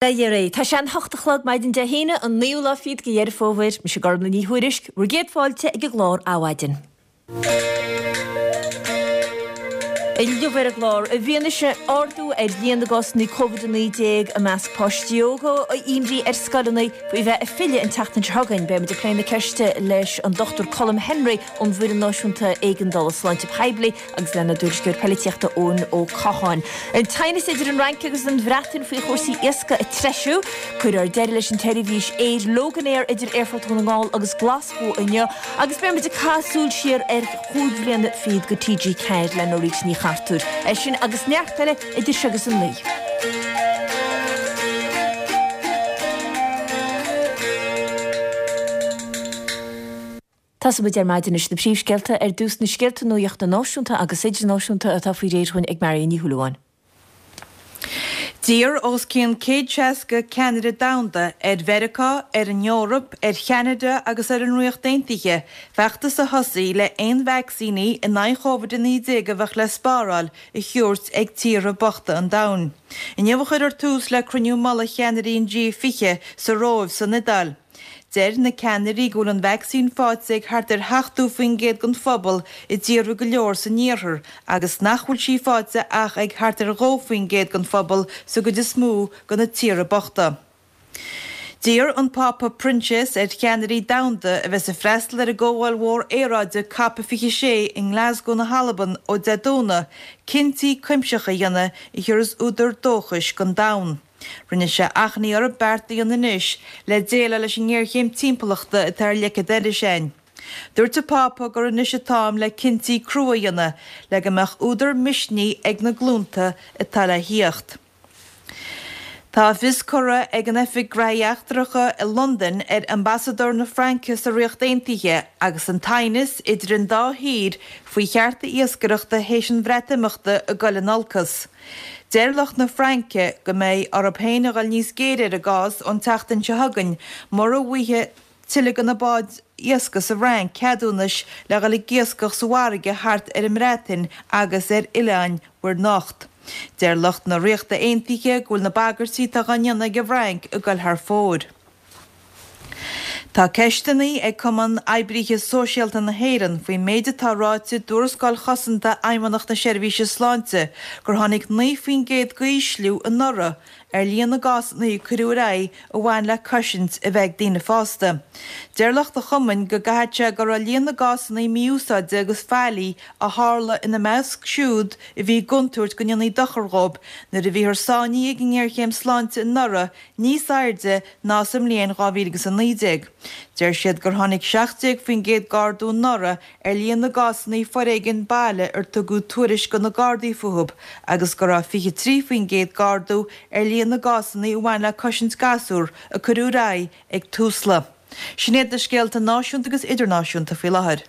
Beidh ar. Tá sé an hocht a chlog maidin Dé hAoine, an naoú lá fichead de Dheireadh Fómhair. Mise Gormlaith Ní Thuairisg, bhur gcéad fáilte ag an gclár Adhmhaidin. Inniu ar an gclár, i bhfianaise ardú ar líon na gcásanna Covid-19 i measc páistí óga, imní ar scoileanna faoi bheith ag filleadh an tseachtain seo chugainn, beidh muid ag plé na ceiste leis an Dr Colm Henry ón bhFoireann Náisiúnta Éigeandála Sláinte Poiblí agus lenár dtuairisceoir poilitíochta Eoin Ó Catháin. An teannas idir an Fhrainc agus an Bhreatain faoi chúrsaí iascaigh ag treisiú. Cuirfear deireadh leis an tseirbhís aeir Loganair idir Aerfort Dhún na nGall agus Glaschú inniu agus beidh muid ag caitheamh súil siar ar chúig bhliana fichead de TG4 le Norita Ní Chartúir. É sin agus neart eile idir seo agus a 9. Tosóidh muid ar maidin leis na príomhscéalta, ar dtús na scéalta nuachta náisiúnta agus idirnáisiúnta atá faoi réir dhúinn ag Marion Ní Shúilleabháin. D'iarr os cionn 160 ceannaire domhanda ar Mheiriceá, ar an Eoraip, ar Cheanada agus ar an Ríocht Aontaithe feachtas a thosaí le aon vacsaíní in aghaidh Chóvid-19 a bheadh le spáráil a thabhairt ag tíortha bochta an domhain. Inniu a chuirfear tús le cruinniú mullaigh cheannairí an G20 sa Róimh san Iodáil. Deir na ceannairí go bhfuil an vacsaín faighte ag thart ar 70% den phobal i dtíortha go leor san iarthar agus nach bhfuil sí faighte ach ag thart ar 2% den phobal sa gcuid is mó de na tíortha bochta. D'iarr an Pápa Proinsias ar cheannairí domhanda a bheas ag freastal ar an gcomhdháil mhór aeráide Cop 26 i nGlasgow na hAlban ó Dé Domhnaigh cinntí cuimsitheacha a dhéanamh a thiúrfas údar dóchais don domhan. Rinne sé achainí orthu beart a dhéanamh anois le déileáil leis an ngéarchéim timpeallachta atá ar leic an dorais againn. Dúirt an Pápa gur anois an t-am le cinntí crua a dhéanamh le go mbeadh údar misnigh ag na glúnta atá le thíocht. Tá fios curtha ag an Oifig Graithí Eachtracha i Londain ar Ambasadóir na Fraince sa Ríocht Aontaithe agus an t-aighneas idir an dá thír faoi chearta iascaireachta théis an Bhreatimeachta ag dul in olcas. Deir lucht na Fraince go mbeidh orthu féin a dhul níos géire ar an gcás ón tseachtain seo chugainn mura bhfaighidh tuilleadh de na báid iascaigh sa Fhrainc ceadúnais le dhul ag iascach sa bhfarraige thart ar an mBreatain agus ar oileáin Mhuir nIocht. Deir lucht na Ríochta Aontaithe go bhfuil na bagairtí atá dhá ndéanamh ag an bhFrainc ag dul thar fóir. Tá ceisteanna ag Cumann Oibríthe Sóisialta na hÉireann faoin méid atá ráite i dtuarascáil chosanta Fheidhmeannacht na Seirbhíse Sláinte gur tháinig 9% d'ísliú anuraidh ar líon na gcásanna a cuireadh ar aghaidh a bhain le cosaint a bheith ag daoine fásta. Deir lucht an chumainn go gcaithfidh sé go raibh líon na gcásanna mí-úsáide agus faillí a tharla ina measc siúd a bhí i gcontúirt go ndéanfaí dochar dhóibh nuair a bhíothar sáinnithe ag an ngéarchéim sláinte anuraidh níos airde ná sa mbliain 2019. Deir siad gur tháinig 17% d'ardú anuraidh ar líon na gcásanna foréigin baile ar tugadh tuairisc do na Gardaí fúthu agus go raibh 23% d'ardú ar líon na gcásanna a bhain le cosaint gasúr a cuireadh ar aghaidh ag Tusla. Sin iad na scéalta náisiúnta agus idirnáisiúnta faoi láthair.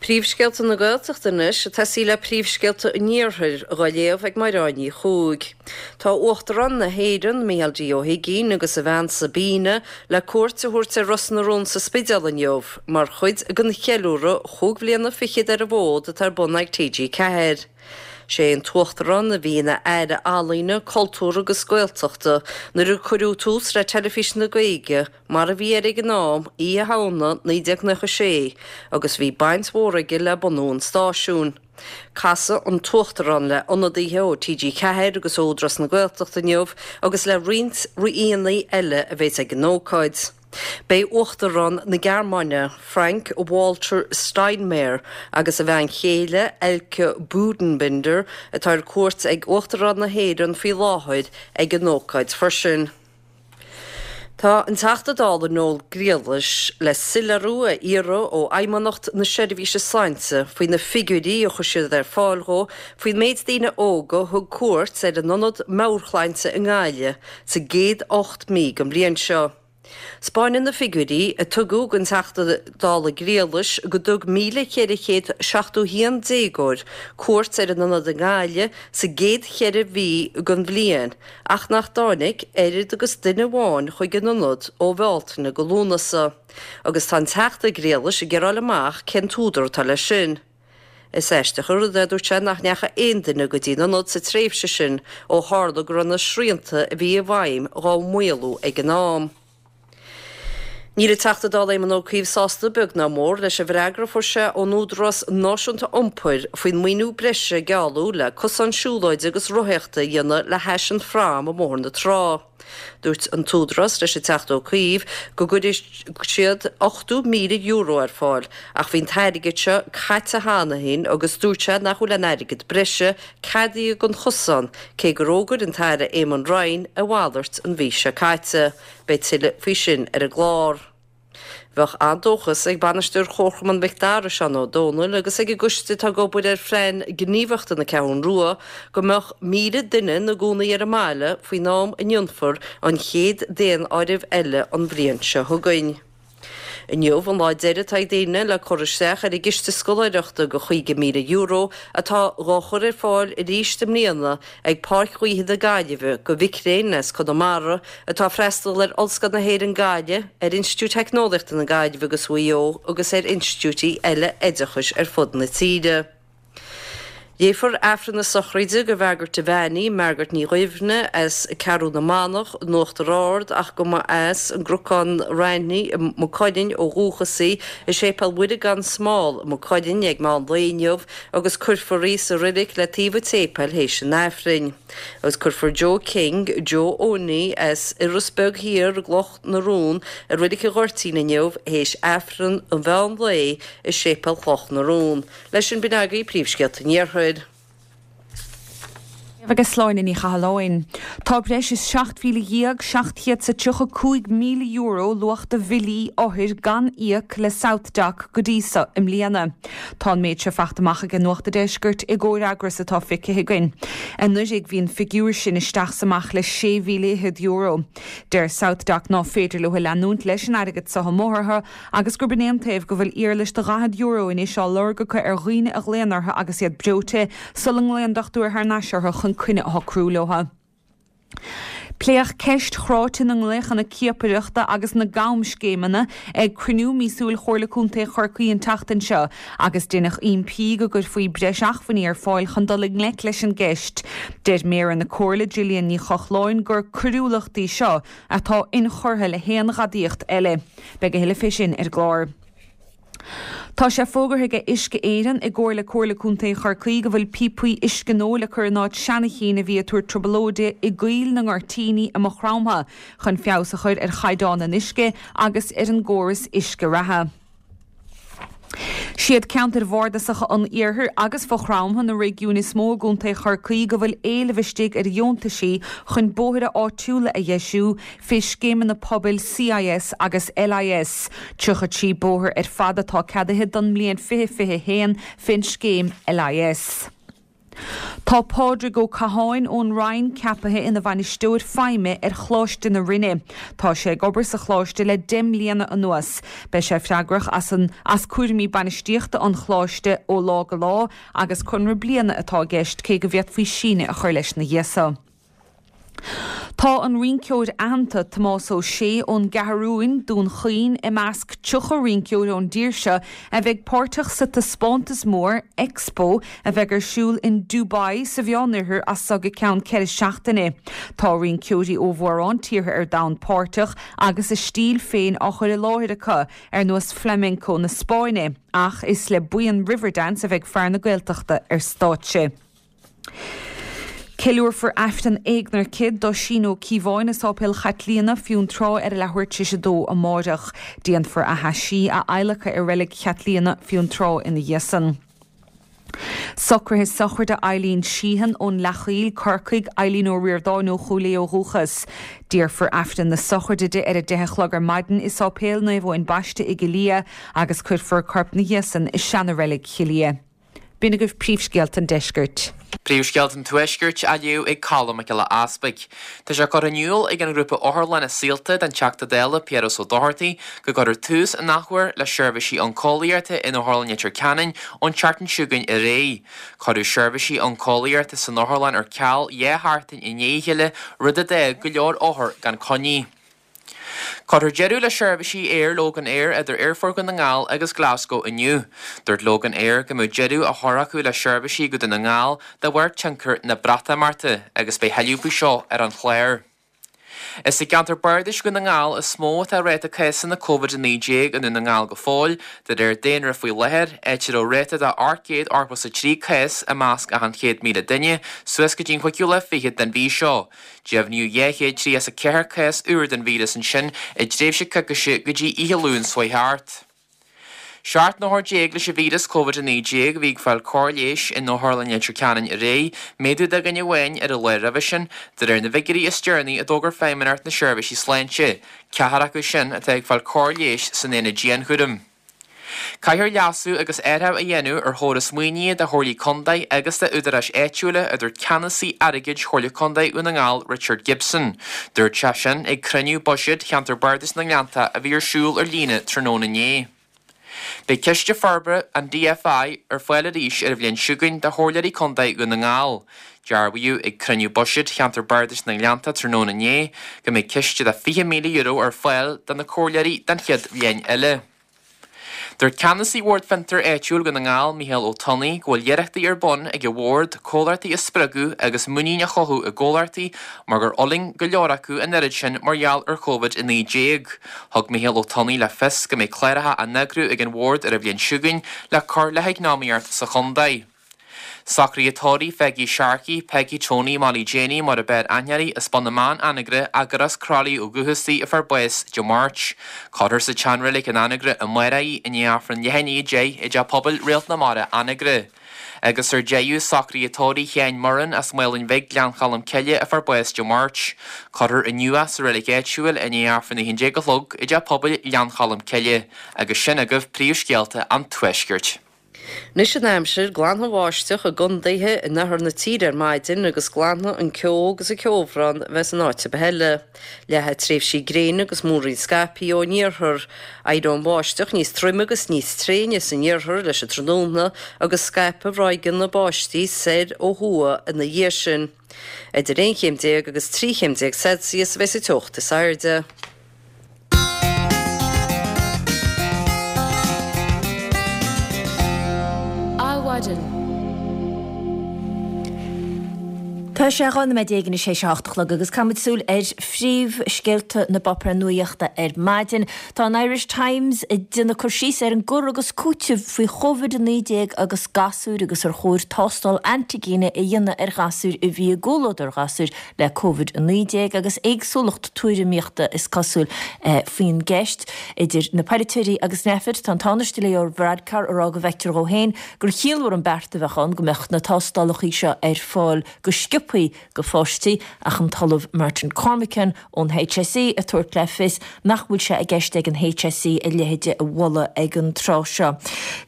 Príomhscéalta na Gaeltachta anois, ag tosaí le príomhscéalta an Iarthair, dhá léamh ag Mairéad Ní Chuaig. Tá Uachtarán na hÉireann, Micheál D. Ó hUigínn agus a bhean Sabina le cuairt a thabhairt ar Ros na Rún sa Spidéal inniu mar chuid den cheiliúradh chúig bhliana fichead ar an bhfód atá ar bun ag TG4. Sé an tUachtarán a bhí ina Aire Ealaíne, Cultúir agus Gaeltachta nuair a cuireadh tús le Teilifís na Gaeilge mar a bhí air ag an am, Oíche Shamhna 1996, agus bhí baint mhór aige le bunú an stáisiúin. Casfaidh an tUachtarán le ionadaithe ó TG4 agus ó Údarás na Gaeltachta inniu agus le roinnt aíonna eile a bheas ag an ócáid. Beidh Uachtarán na Gearmáine, Frank Walter Steinmeier, agus a bhean chéile, Elke Büdenbender, atá ar cuairt ag Uachtarán na hÉireann faoi láthair, ag an ócáid freisin. Tá an Teachta Dála Noel Griallais le soiléiriú a iarraidh ó Fheidhmeannacht na Seirbhíse Sláinte faoi na figiúirí a chuir siad ar fáil dhó faoin méid daoine óga a thug cuairt ar an Ionad Meabhairshláinte i nGaillimh sa gcéad 8 mí den bhliain seo. 'Spáineann na figiúirí a tugadh don Teachta Dála Griallais go dtug 1,471 déagóir cuairt ar an ionad i nGaillimh sa gcéad cheithre mhí den bhliain ach nach dtáinig oiread agus duine amháin chuig an ionad ó Bhealtaine go Lúnasa agus tá an Teachta Griallais ag iarraidh a fháil amach cén t-údar atá leis sin. Is aisteach an rud é, a dúirt sé, nach ndeachaigh aon duine go dtí an ionad sa tréimhse sin ó tharla go raibh na srianta a bhí i bhfeidhm dhá maolú ag an am. Níl an Teachta Dála Éamon Ó Cuív sásta beag ná mór leis an bhfreagra a fuair sé ón Údarás Náisiúnta Iompair faoin maoiniú breise a gealladh le cosán siúlóide agus rothaíochta a dhéanamh le hais an phrám i mBóthar na Trá. Dúirt an tÚdarás leis an Teachta Ó Cuív go gcuirfidh siad €80,000 ar fáil ach bhí an t-airgead seo caite cheana féin agus dúirt sé nach bhfuil aon airgead breise ceadaithe don chosán cé gur fhógair an tAire Eamon Ryan a mhalairt an mhí seo caite. Beidh tuilleadh faoi sin ar an gclár. Bheadh an-dóchas ag bainisteoir Chomharchumann Mhic Dara, Seán Ó Domhnaill, agus ag an gcoiste atá ag obair ar Phlean Gníomhaíochta na Ceathrún Rua go mbeadh 1,000 duine ina gcónaí ar an mbaile faoin am a ndéanfar an chéad daonáireamh eile an bhliain seo chugainn. Inniu an lá deiridh atá ag daoine le cur isteach ar an gciste scoláireachta de €50,000 atá dhá chur ar fáil arís i mbliana ag Páirc Ghaoithe na Gaillimhe do mhic léinn as Conamara atá ag freastal ar Ollscoil na hÉireann Gaillimh, ar Institiúid Teicneolaíochta na Gaillimhe agus Mhaigh Eo agus ar institiúidí eile oideachais ar fud na tíre. Léifear Aifreann na sochraide do Mhargaret Devaney, Margaret Ní Dhuibhne, as Ceathrú na Manach in Uachtar Ard ach go mba as an gCnocán Raithnigh i Maigh Cuilinn ó dhúchas í, i Séipéal Mhuire gan Smál i Maigh Cuilinn ag meán lae inniu agus cuirfear í sa reilig le taobh an tséipéil théis an Aifrinn. Agus cuirfear Joe King, Joe Owenie, as Iorras Beag Thiar i gCloch na Rón i Reilig an Ghoirtín inniu théis Aifreann an mheán lae i Séipéal Chloch na Rón. Leis sin b'in agaibh príomhscéalta an Iarthair. Agus Sláine Ní Chathalláin. Tá breis is €17,735,000 luach de bhillí othair gan íoc le SouthDoc go dtí so i mbliana. Tá an méid seo fachta amach aige Nuacht a' Deiscirt i gcomhfhreagras atá feicthe againn. Anuraidh bhí an figiúr sin isteach 's amach le €6,000. Deir SouthDoc ná féidir leo leanúint leis an airgead so amuigh orthu agus gurb in é an taobh go bhfuil iarlais de €40 anois á lorg acu ar dhaoine a ghlaonn orthu agus iad breoite, sula nglaonn dochtúir thar n-ais orthu chun coinne a shocrú leo. Pléadh ceist chráite na nglaochanna ciapaireachta agus na gcamscéimeanna ag cruinniú míosúil Chomhairle Contae Chorcaí an tseachtain seo agus deineadh impí go gcuirfí breis acmhainní ar fáil chun dul i ngleic leis an gceist. Deir Méara na Comhairle, Gillian Ní Chochláin, gur coiriúlacht í seo atá inchurtha le haon ghadaíocht eile. Beidh a thuilleadh fé sin ar an gclár. Tá sé fógartha aige Uisce Éireann i gcomhar le Comhairle Contae Chorcaí go bhfuil píopaí uisce nua le cur in áit seana chinn a bhí ag tabhairt trioblóide i gCoill na nGoirtíní i Maigh Chromtha chun feabhas a chur ar chaighdeán an uisce agus ar an gcóras uisce reatha. Siad ceantair bhardasacha an Iarthair agus Mhaigh Chromtha na réigiúin is mó i gContae Chorcaí go bhfuil éileamh istigh ar dheontaisí chun bóithre áitiúla a dheisiú fé scéimeanna pobail CIS agus LIS. 33 bóthar ar fad atá ceadaithe don mbliain 2021 fén scéim LIS. Tá Pádraig Ó Catháin ón Rinn ceapaithe ina bhainisteoir feidhme ar Choláiste na Rinne. Tá sé ag obair sa choláiste le 10 mbliana anuas. Beidh sé freagrach as an as cúraimí bainistíochta an choláiste ó lá go lá agus conradh bliana atá i gceist cé go bhféadfaí síneadh a chur leis ina dhiaidh so. Tá an rinceoir aitheanta Tomás Ó Sé ón gCeathrúin, Dún Chaoin, i measc 30 rinceoir ón dtír seo a bheidh páirteach sa taispeántas mór, Expo, a bheidh ar siúl in Dubai sa Mheánoirthear as so go ceann 4 seachtaine. Tá rinceoirí ó mhórán tíortha ar domhan páirteach agus a stíl féin á chur i láthair acu, ar nós Flamenco na Spáinne, ach is le buíon Riverdance a bheidh fear na Gaeltachta ar stáitse. Ceiliúrfar Aifreann éagnairce d'Oisín Ó Cíobháin i Sáipéal Chaitlíona, Fionntrá ar a leathuair tar éis a dó amáireach. Déanfar a thaisí a adhlacadh i Reilig Chaitlíona, Fionntrá ina dhiaidh san. Socruithe sochraide Eileen Sheehan ón Leathchoill, Corcaigh, Eileen Ó Ríordáin ó Chúil Aodha ó dhúchas. Déarfar Aifreann na sochraide di ar a deich a chlog ar maidin i Sáipéal Naomh Eoin Baiste i gCill Ia agus cuirfear a corp 'na dhiaidh san i seana-reilig Chill Ia. B'in agaibh príomhscéalta an deiscirt. Príomhscéalta an Tuaiscirt á léamh ag Colm Mac Giolla Easpaig. Tá sé curtha in iúl ag an ghrúpa Otharlainne Saolta don Teachta Dála Piaras Ó Dochartaigh go gcuirfear tús an athuair le seirbhísí oncólaíochta in Otharlann Leitir Ceanainn ón tseachtain seo chugainn ar aghaidh. Cuireadh seirbhísí oncólaíochta san otharlann ar ceal dhá sheachtain i ndiaidh a chéile, rud a d'fhág go leor othar gan coinní. Cuirfear deireadh le seirbhísí aeir Loganair idir Aerfort Dhún na nGall agus Glasgow inniu. Dúirt Loganair go mbeadh deireadh á chur acu le seirbhísí go Dún na nGall de bharr tionchar na Breatimeachta agus beidh tuilleadh faoi seo ar an chlár. Is i gceantar bardais Dhún na nGall is mó atá ráta cásanna Covid-19 i nDún na nGall go fóill, de réir daonra faoi láthair, áit a raibh ráta de 883 cás i measc achan 100,000 duine suas go dtí an chúigiú lá fichead den mhí seo. Deimhníodh 234 cás úr den víreas ansin i dtréimhse coicíse go dtí oíche Luain seo chuaigh thart. 17 n-othar leis an víreas Covid-19 a bhí ag fáil cóir leighis in Otharlann Leitir Ceanainn aréir, méadú de dhuine amháin ar an lá roimhe sin, de réir na bhfigiúirí is deireanaí a d'fhógair Feidhmeannacht na Seirbhísí Sláinte. Ceathrar acu sin atá ag fáil cóir leighis san aonad dianchúraim. Caithfear leasú agus athrú a dhéanamh ar chóras maoinithe do Chomhairlí Contae agus d'údaráis áitiúla, a dúirt Ceannasaí Airgid Chomhairle Contae Dhún na nGall, Richard Gibson. Dúirt sé sin ag cruinniú buiséid Cheantar Bardais na nGleannta a bhí ar siúl ar líne tráthnóna inné. Beidh Ciste Forbartha an DFI ar fáil arís ar an bhliain seo chugainn do Chomhairleoirí Contae Dhún na nGall. Dearbhaíodh ag cruinniú buiséid Cheantar Bardais na nGleannta tráthnóna inné go mbeidh ciste de €20,000 ar fáil do na comhairleoirí don chéad bhliain eile. Dúirt ceannasaí Bhord Fiontair Áitiúil Dhún na nGall, Mícheál Ó Tonnaigh, go bhfuil iarrachtaí ar bun ag an Bhord comhlachtaí a spreagadh agus muinín a chothú i gcomhlachtaí mar gur fhulaing go leor acu an oiread sin mar gheall ar Covid-19. Thug Mícheál Ó Tonnaigh le fios go mbeidh cláracha á n-eagrú ag an Bhord ar an bhliain seo chugainn le cur le heacnamaíocht sa chontae. Socruithe tórraimh Pheigí Sharkey, Peggy Tony Molly Janie mar ab fhearr aithne uirthi, as Bun na mBan, Anagaire, ach gur as Croithlí ó dhúchas di a fuair bás Dé Máirt. Cuirfear sa tseanreilig in Anagaire amárach í i ndiaidh Aifreann leath i ndiaidh 10 i dTeach Pobail Réalt na Mara, Anagaire. Agus ar deireadh, socruithe tórraimh Sheáin Moran as Maolainn Bhig, Gleann Cholm Cille a fuair bás Dé Máirt. Cuirfear inniu é sa reilig áitiúil i ndiaidh Aifreann a 11 a chlog i dTeach Pobail Ghleann Cholm Cille. Agus sin agaibh príomhscéalta an Tuaiscirt. Anois an aimsir, glanfaidh an bháisteach i gcondaetha in oirthear na tíre ar maidin agus glanfaidh an ceo agus an ceobhrán a bheas in áit ar bith eile. Leathfaidh tréimhsí gréine agus múraíl scaipthe ón iarthar. Éireoidh an bháisteach níos troime agus níos tréine san iarthar leis an tráthnóna agus scaipfidh ráigeanna báistí soir ó thuaidh ina dhiaidh sin. Idir 11 chéim agus 13 chéim Celsius a bheas an teocht is airde. Adhmhaidin. Tá sé 12 nóiméad anois théis a hocht a chlog agus caithfimid súil ar phríomhscéalta na bpáipéar nuaíochta ar maidin. Tá an Irish Times ag déanamh cur síos ar an gcur agus cúiteamh faoi Chovid-19 agus gasúir agus ar chóir tástáil antaigine a dhéanamh ar ghasúir a bhí i gcomhluadar ghasúir le Covid-19 agus éagsúlacht tuairimíochta is cosúil faoin gceist idir na polaiteoirí agus Nphet. Tá an Tánaiste Leo Varadkar ag rá go bhfeictear dhó féin gur chiallmhar an beart a bheadh ann go mbeadh na tástálacha seo ar fáil go sciobthaí go pháistí ach an tOllamh Martin Cormican ón HSE ag tabhairt le fios nach bhfuil sé i gceist ag an HSE a leithéid a mholadh ag an tráth seo.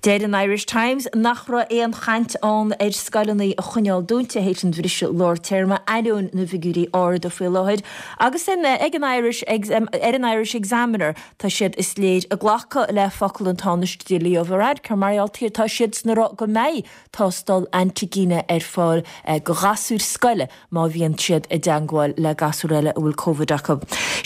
Deir an Irish Times nach raibh aon chaint ann ar scoileanna a choinneáil dúnta théis an bhriseadh lár téarma ainneoin na bhfigiúirí arda faoi láthair agus ag an Irish ar an Irish Examiner tá siad is léir ag glacadh le focal an Tánaiste Leo Varadkar mar gheall tá siadsan ag rá go mbeidh tástáil antaigine ar fáil go ghasúir scoile má bhíonn siad i dteangmháil le gasúr eile a bhfuil Covid acu.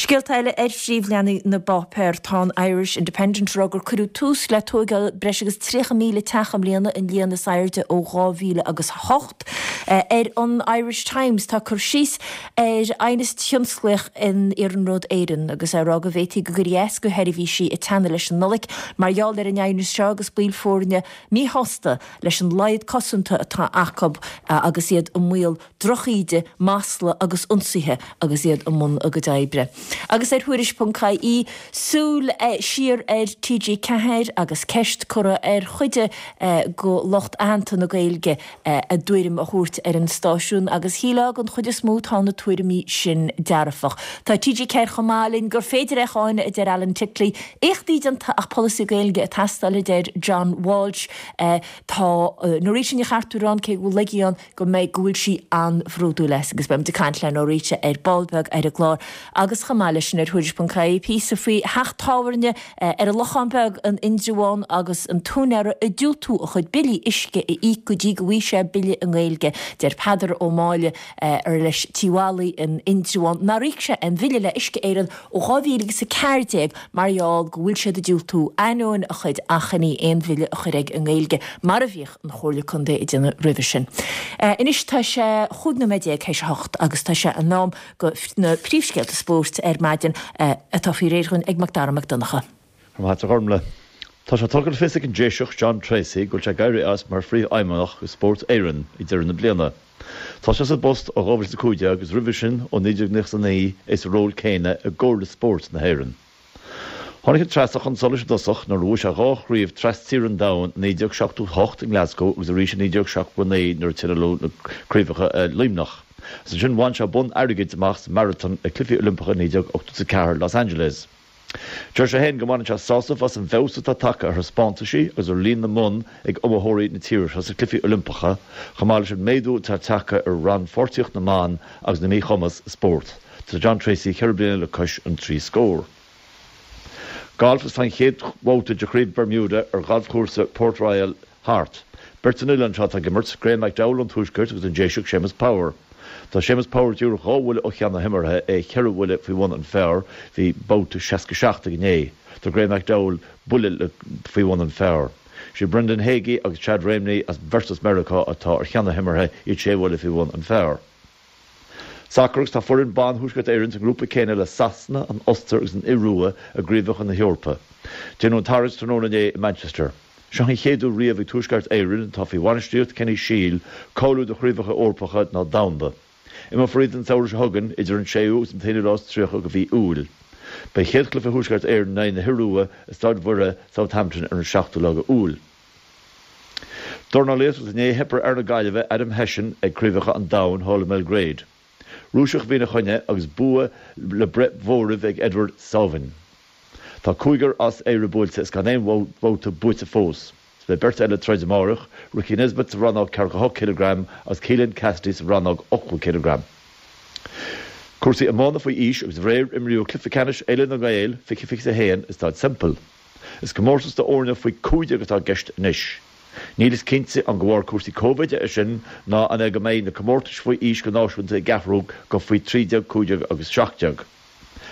Scéalta eile ar phríomhleathanaigh na bpáipéar, tá an Irish Independent ag rá gur cuireadh tús le tóigeáil breis agus 30,000 teach i mbliana, an líon is airde ó 2000 agus 8. Ar an Irish Times tá cur síos ar aighneas tionsclaíoch in Iarnród Éireann agus é ag rá go bhféadfaí go gcuirfí as go sheirbhísí ag teannadh leis an Nollaig mar gheall ar an aighneas seo agus baill foirne míshásta leis an laghad cosanta atá acu agus iad i mbaol drochíde, masla agus ionsaithe agus iad i mbun a gcuid oibre. Agus ar Thuairisc ponc ie, súil siar ar TG4 agus ceist curtha ar chuid de lucht aitheanta na Gaeilge a dtuairim a thabhairt ar an stáisiún agus shílfeá den chuid is mó tá na tuairimí sin dearfach. Tá TG4 chomh maith linn gur féidir é a cháineadh, a deir Alan Titley. Éachtaí déanta ach polasaí Gaeilge ag teastáil, a deir John Walsh. Tá Norita Ní Chartúir ann, cé go bhfuil laigí ann, go mbeidh, go bhfuil sí an. an-bhródúil as agus beidh muid ag caint le Norita ar ball beag ar an gclár agus chomh maith leis sin ar Thuairisc.ie píosa faoi theach tábhairne ar an Lochán Beag in Indreabhán agus an t-úinéara ag diúltú a chuid billí uisce a íoc go dtí go bhfaighidh sé bille i nGaeilge. Deir Peadar Ó Máille ar leis Tí Mholly in Indreabhán nár íoc sé aon bhille le Uisce Éireann ó 2014 mar gheall go bhfuil siad ag diúltú, ainneoin a chuid achainí, aon bhille a chur aige i nGaeilge mar a bhíodh an Chomhairle Contae ag déanamh roimhe sin. Anois tá sé 15 nóiméad théis a hocht agus tá sé in am do na príomhscéalta spóirt ar maidin atá faoi réir dhúinn ag Macdara Mac Donncha. Go raibh maith agat a Ghormlaith. Tá sé tugtha le fios ag an Déiseach John Treacy go bhfuil sé ag éirí as mar Phríomhfheidhmeannach de Spórt Éireann ag deireadh na bliana. Tá sé sa bpost ó 2015 agus roimhe sin ó 1999 é sa ról céanna i gComhairle Spóirt na hÉireann. Tháinig an Treasach chun solais i dtosach nuair a bhuaigh sé dhá chraobh tras-tíre an domhain i 1978 i nGlasgow agus arís i 1979 nuair a tionóladh na craobhacha i Luimneach. Agus ansin bhain sé bonn airgid amach sa maratón ag Cluichí Oilimpeacha 1984 Los Angeles. Deir sé féin go mbaineann sé sásamh as an bhfeabhas atá tagtha ar thaispeántaisí agus ar líon na mbonn ag iomaitheoirí na tíre seo sna Cluichí Oilimpeacha, chomh maith leis an méadú atá tagtha ar rannpháirtíocht na mban agus na míchumas i spórt. Tá John Treacy cheithre bliana le cois an trí scór. Galf Agus tá an chéad bhabhta de Chraobh Bermuda ar ghalfchúrsa Port Royal thart. Beirt ón oileán seo atá ag imirt, Graham McDowell ón Tuaisceart agus an Déiseach Séamus Power. Tá Séamus Power díreach dhá bhuille ó cheann na himeartha, é cheithre bhuille faoi bhun an phar, bhí babhta 67 aige inné. Tá Graham McDowell buille faoi bhun an phar. Sé Brandon Hagy agus Chad Ramey as beirt as Meiriceá atá ar cheann na himeartha, iad sé bhuille faoi bhun an phar. Sacar Agus tá foireann ban Thuaisceart Éireann sa ngrúpa céanna le Sasana, an Ostair agus an Iorua i gCraobhacha na hEorpa. Déanadh an tarraingt tráthnóna inné i Manchester. Seo an chéad uair riamh ag Tuaisceart Éireann, atá faoi bhainistíocht Kenny Shiel, cáiliú do chraobhacha Eorpacha ná domhanda. Imreofar iad an samhradh seo chugainn, idir an séú agus an t-aonú lá is 30 de mhí Iúil. Beidh chéad chluiche Thuaisceart Éireann in aghaidh na hIorua i Staid Mhuire, Southampton ar an seachtú lá de Iúil. Dornálaíocht agus inné theip ar fhear na Gaillimhe Adam Hession ag Craobhacha an Domhain thall i mBelgrade. Rúiseach a bhí ina choinne agus bua le breith mhóraimh ag Eduard Savin. Tá cúigear as Éire buailte is gan aon bhabhta buaite fós. Is beidh beirt eile ag troid amárach, Ricky Nesbitt sa rannóg 48 cileagram agus Keelan Cassidy sa rannóg 80 cileagram. Cúrsaí iomána faoi aois agus aréir imríodh cluiche ceannais Fhéile na nGael 2021 i Staid Semple. Is comórtas d'fhoirne faoi 15 atá i gceist anois. Níl a fhios cinnte an de bharr cúrsaí Covid é sin ná an é go mbeidh na comórtais faoi aois go náisiúnta ag athrú go faoi 13, 15 agus 17.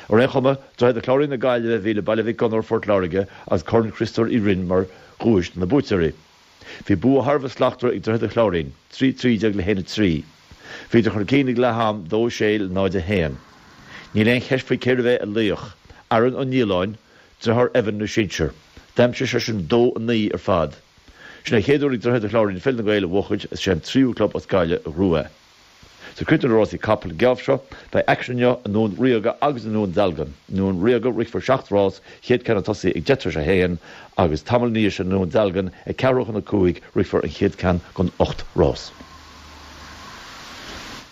Ar aon chuma, Droichead an Chláirín na Gaillimhe a bhí le Baile Mhic Gonair, Phort Láirge agus Corn Chriostóir Uí Rinn mar dhuais do na buaiteoirí. Bhí bua thar a bheith slachtmhar ag Droichead an Chláirín, 3, 13 le 1, 3. Bhíodar chun cinn ag leath am, 2, 6 le 0, 1. Níl aon cheist faoi cérbh é a laoch, Aaron Ó Nialláin, Deartháir Evan na sinsear. D'aimsigh seisean 2, 9 ar fad. Sin é an chéad uair ag Droichead an Chláirín Féile na nGael a bhuachaint is sé an tríú club as Gaillimh a ghnóthaigh é. Is ag críochnú le rásaí capall an geábh seo, beidh aicsean inniu i nDún Ríoga agus i nDún Dealgan. I nDún Ríoga rithfear seacht rás, chéad ceann ag tosaí ag deich tar éis a haon agus tamall ina dhiaidh sin i nDún Dealgan ag ceathrú chun a cúig rithfear an chéad ceann den ocht rás.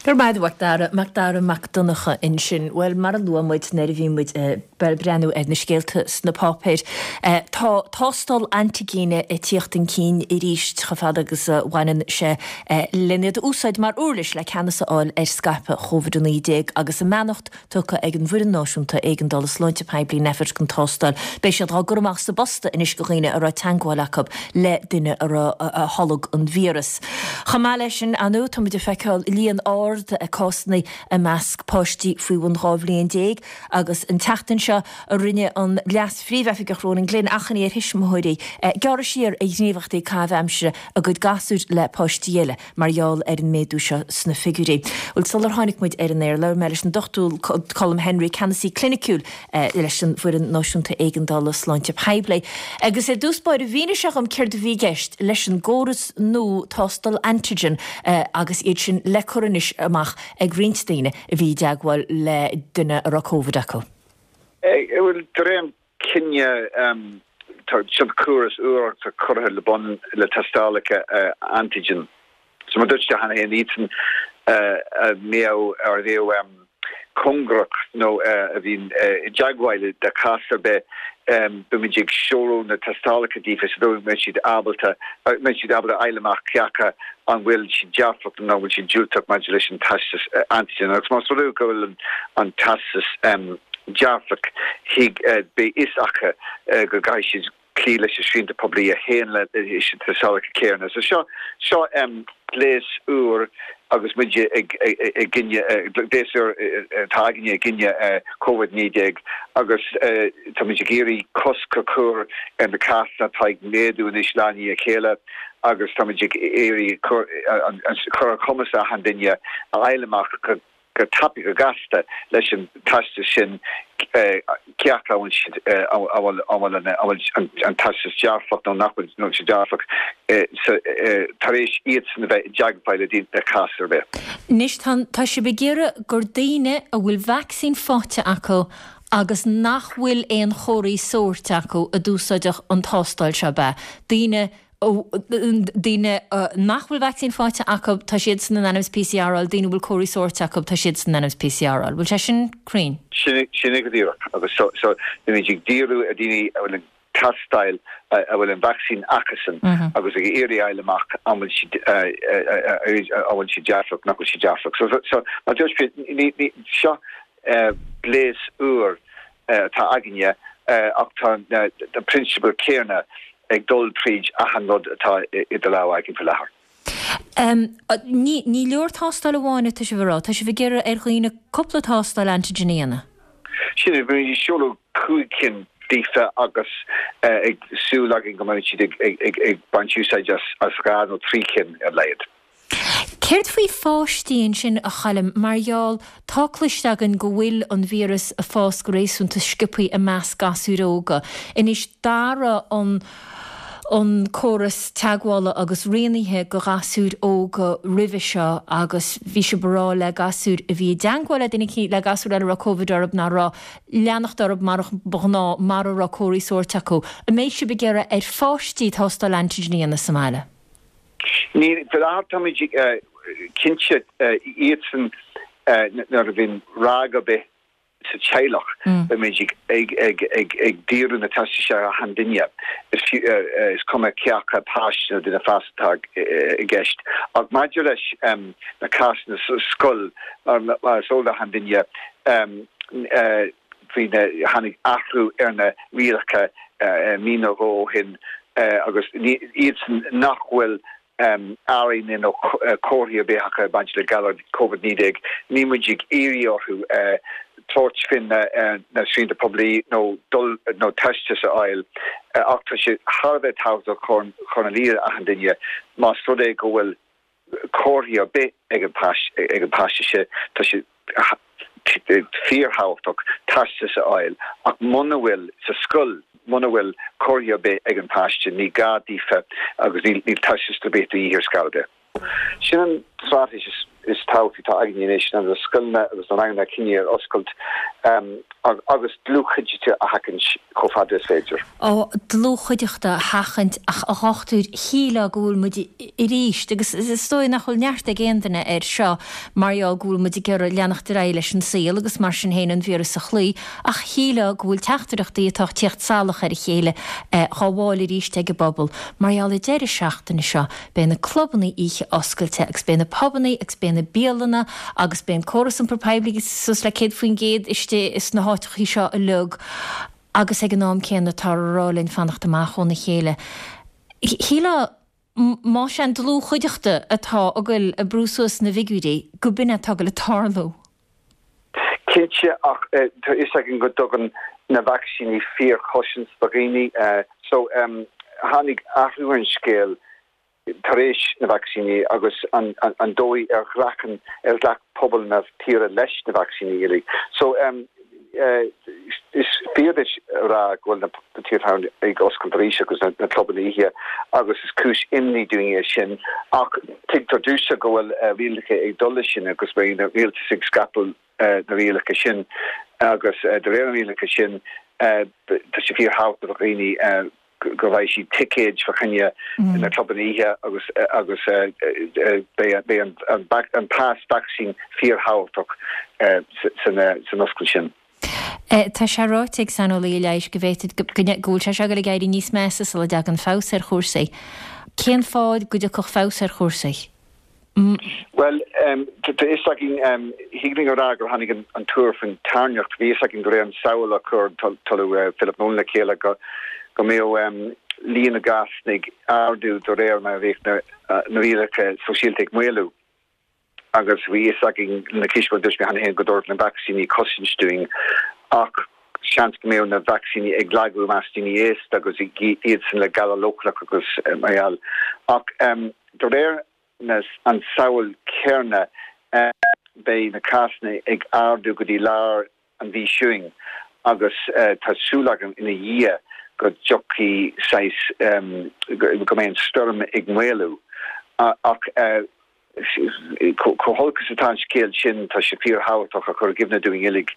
Go raibh maith agat a Mhacdara, Macdara Mac Donncha ansin. Bhuel, mar a luaigh muid nuair a bhí muid ag breathnú ar na scéalta sna páipéir, tá tástáil antaigine ag tíocht chun cinn arís chomh fada agus a bhaineann sé len iad a úsáid mar uirlis le ceannas a fháil ar scaipeadh Covid-19 agus a mbeannacht tugtha ag an bhFoireann Náisiúnta Éigeandála Sláinte Poiblí, Nphet, don tástáil. Beidh siad á gcur amach sa bposta anois do dhaoine a raibh teagmháil acu le duine a raibh a tholg an víreas. Chomh maith leis sin, ar ndóigh, táimid ag feiceáil líon ard cásanna i measc páistí faoi bhun 12 bhliain agus an tseachtain seo rinne an Leas-Phríomhoifigeach Ronan Glynn achainí ar thuismitheoirí gearradh siar ar ghníomhaíochtaí caitheamh aimsire a gcuid gasúir le páistí eile. mar gheall ar an méadú seo sna figiúirí. Bhuel, sular tháinig muid ar an aer, labhair mé leis an Dr Colm Henry, Ceannasaí Cliniciúil leis an bhFoireann Náisiúnta Éigeandála Sláinte Poiblí, agus ar dtús báire mhínigh sé dhom céard a bhí i gceist leis an gcóras nua tástáil antigen agus iad sin le cur anois amach ag roinnt daoine a bhí i dteagmháil le duine a raibh Covid acu. Bhuel, de réir an cinneadh, tá seo córas úr atá curtha le bun le tástálacha antigen. So mar dúirt tú cheana féin, iadsan a mbeadh, ar a bheadh. cóngarach nó a bhíonn i dteagmháil le cás ar bith, beimid ag seoladh na tástálacha daofa sa dóigh go mbeidh siad ábalta, mbeidh siad ábalta a fháil amach cé acu an bhfuil siad dearfach nó an bhfuil siad diúltach maidir leis an teastas antigen. Agus más rud é go bhfuil an teastas dearfach, thig, beidh fhios acu go gcaithfidh siad cloí leis na srianta poiblí a théann leis na tástálacha céanna. So seo, seo gléas úr agus muid ag, i gcoinne, gléas úr atá againne i gcoinne Covid-19 agus táimid ag iarraidh cosc a chur ar na cásanna atá ag méadú anois lá i ndiaidh a chéile agus táimid ag iarraidh cur ar chumas achan duine a fháil amach go go tapaidh, go gasta leis an teastas sin cé acu an bhfuil siad, an bhfuil an teastas dearfach nó nach bhfuil sé dearfach, tar éis iadsan a bheith i dteagmháil le daoine le cás ar bith. Anois tá, tá sibh ag iarraidh gur daoine a bhfuil vacsaín faighte acu agus nach bhfuil aon chomharthaí sóirt acu a d'úsáidfeadh an tástáil seo, ab ea? Daoine Daoine nach bhfuil vacsaín faighte acu, tá siadsan in ainm is PCR a fháil, daoine a bhfuil comharthaí sóirt acu, tá siadsan in ainm is PCR a fháil. Bhfuil sé sin cruinn? Sin é go díreach. Agus so, so, táimid ag díriú ar daoine a bhfuil an tástáil, a bhfuil an vacsaín acusan agus ag iarraidh a fháil amach an bhfuil siad, an bhfuil siad dearfach, nach bhfuil siad dearfach. So, so, mar dúirt mé, ní, ní, seo gléas úr atá againne ach tá na prionsabail céanna ag dul tríd achan rud atá idir lámha againn faoi láthair. Ní ní leor tástáil amháin atá sibh a rá, tá sibh ag iarraidh ar dhaoine cúpla tástáil antigen a dhéanamh. Sin é, beimid ag seoladh 5 cinn daofa agus ag súil againn go mbeidh siad ag baint úsáid as 2 nó 3 cinn ar a laghad. Céard faoi pháistí ansin, a Choilm, mar gheall, tá cloiste againn go bhfuil an víreas ag fás go réasúnta sciobthaí i measc gasúir óga. Anois, d'athraigh an an córas teagmhála agus rianaithe go ghasúir óga roimhe seo agus bhí sibh ag rá le gasúir a bhí i dteagmháil le duine le gasúr eile a raibh Covid orthu nach raibh leanacht orthu mar ba ghnáth mara raibh comharthaí sóirt acu. An mbeidh sibh ag iarraidh ar pháistí tástáil antigen a dhéanamh sa mbaile? Ní, faoi láthair táimid cinnte iadsan nuair a bhíonn ráig ar bith sa teaghlach beimid ag díriú na teastais ar achan duine, is cuma cé acu páiste nó duine fásta atá i gceist. Ach maidir leis na cásanna sa scoil, mar is eol d'achan duine, bhí na, tháinig athrú ar na rialacha mí nó dhó ó shin agus iadsan nach bhfuil airíonna nó comharthaí ar bith acu ag baint le galar Covid-19, níl muid ag iarraidh orthu tabhairt faoi na srianta poiblí nó dul nó teastas a fháil ach tá sé thar a bheith tábhachtach chur ina luí ar achan duine más rud é go bhfuil comharthaí ar bith ag an ag an páiste sin, tá sé fíorthábhachtach teastas a fháil ach muna bhfuil sa scoil, muna bhfuil comharthaí ar bith ag an páiste, ní gá daofa agus níl teastas ar bith de dhíth ar scor ar bith. Sin an straitéis is tábhachtaí atá againne anois ná na scoileanna agus na ranganna a choinneáil ar oscailt agus dlúthchuideachta a sheachaint chomh fada is féidir. Ó, dlúthchuideachta a sheachaint ach a dhochtúir, shílfeá go bhfuil muid arís, agus is dóigh nach bhfuil neart ag aon duine air seo mar gheall go bhfuil muid ag iarraidh leanacht ar aghaidh leis an saol agus mar sin féin an víreas a chloí, ach shílfeá go bhfuil teachtaireachtaí atá ag tíocht salach ar a chéile dhá bhfáil arís ag an bpobal mar gheall an deireadh seachtaine seo. Beidh na clubannaí oíche oscailte agus beidh na pubannaí agus beidh na bialanna agus beidh an córas iompair poiblí suas le 100% istigh sna háiteachaí seo uilig agus ag an am céanna táthar a rá linn fanacht amach óna chéile. Shílfeá más é an dlúthchuideachta atá ag goil ag brú suas na bhfigiúirí go b'in é atá ag goil ag tarlú. Cinnte, ach tá fhios againn go dtugann na vacsaíní fíorchosaint do dhaoine. So, tháinig athrú ar an scéal tar éis na vacsaíní agus an dóigh ar ghlac ar ghlac pobal na tíre leis na vacsaíní uilig. So, is fíor duit a rá go bhfuil na tithe tábhairne ag oscailt arís agus na clubanna oíche agus is cúis imní dúinn é sin ach tuigtear domhsa go bhfuil rialacha ag dul leis sin agus beidh an rialtas ag scaipeadh na rialacha sin agus de réir na rialacha sin tá sé fíorthábhachtach do dhaoine. go bhfaighidh siad ticéid fá choinne na clubanna oíche agus agus beidh an pas vacsaín fíorthábhachtach san oscailt sin. Tá sé ráite ag saineolaithe leighis go bhféadfadh go bhfuil sé seo ag dul ag éirí níos measa sula dtagann feabhas ar chúrsaí. Cén fáth go dtiocfadh feabhas ar chúrsaí? Bhuel, tá a fhios againn, thig linn a rá gur tháinig an tuar faoin tairneach. Bhí a fhios againn de réir an samhail a chuir an tOllamh Philip Nolan le chéile go mbeadh líon na gcásanna ag ardú de réir mar a bheadh na rialacha sóisialta ag maolú. Agus bhí a fhios againn na císte mar a dúirt mé cheana féin go dtabharfadh na vacsaíní cosaint dúinn ach seans go mbeadh na vacsaíní ag lagú i measc daoine aosta agus iadsan le galar leochaileach agus mar gheall. Ach de réir na an samhail chéanna beidh na cásanna ag ardú go dtí lár an mhí seo chugainn agus tá súil agam ina dhiaidh go dtiocfaidh saghas, go mbeidh an stoirm ag maolú. Ach chomh holc is atá an scéal sin, tá sé fíorthábhachtach a chur i gcuimhne dúinn uilig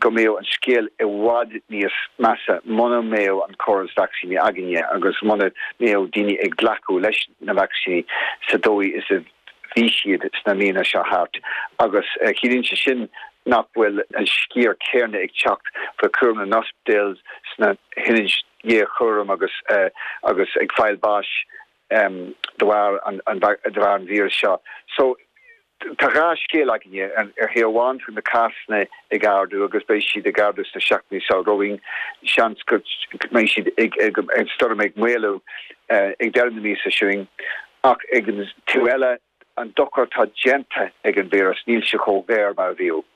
go mbeadh an scéal i bhfad níos measa muna mbeadh an córas vacsaíní againne agus muna mbeadh daoine ag glacadh leis na vacsaíní sa dóigh is a bhí siad sna míonna seo thart agus ciallaíonn sé sin nach bhfuil an sciar céanna ag teacht faoi chúram na n-ospidéal sna hionaid ghéarchúraim agus agus ag fáil báis de bharr an de bharr an víreas seo. So tá dhá scéal againne. Ar thaobh amháin tá na cásanna ag ardú agus beidh siad ag ardú sna seachtainí seo romhainn. Seans go mbeidh siad ag an stoirm ag maolú ag deireadh na míosa seo chugainn. Ach ag an taobh eile, an dochar atá déanta ag an víreas, níl sé chomh géar mar a bhíodh.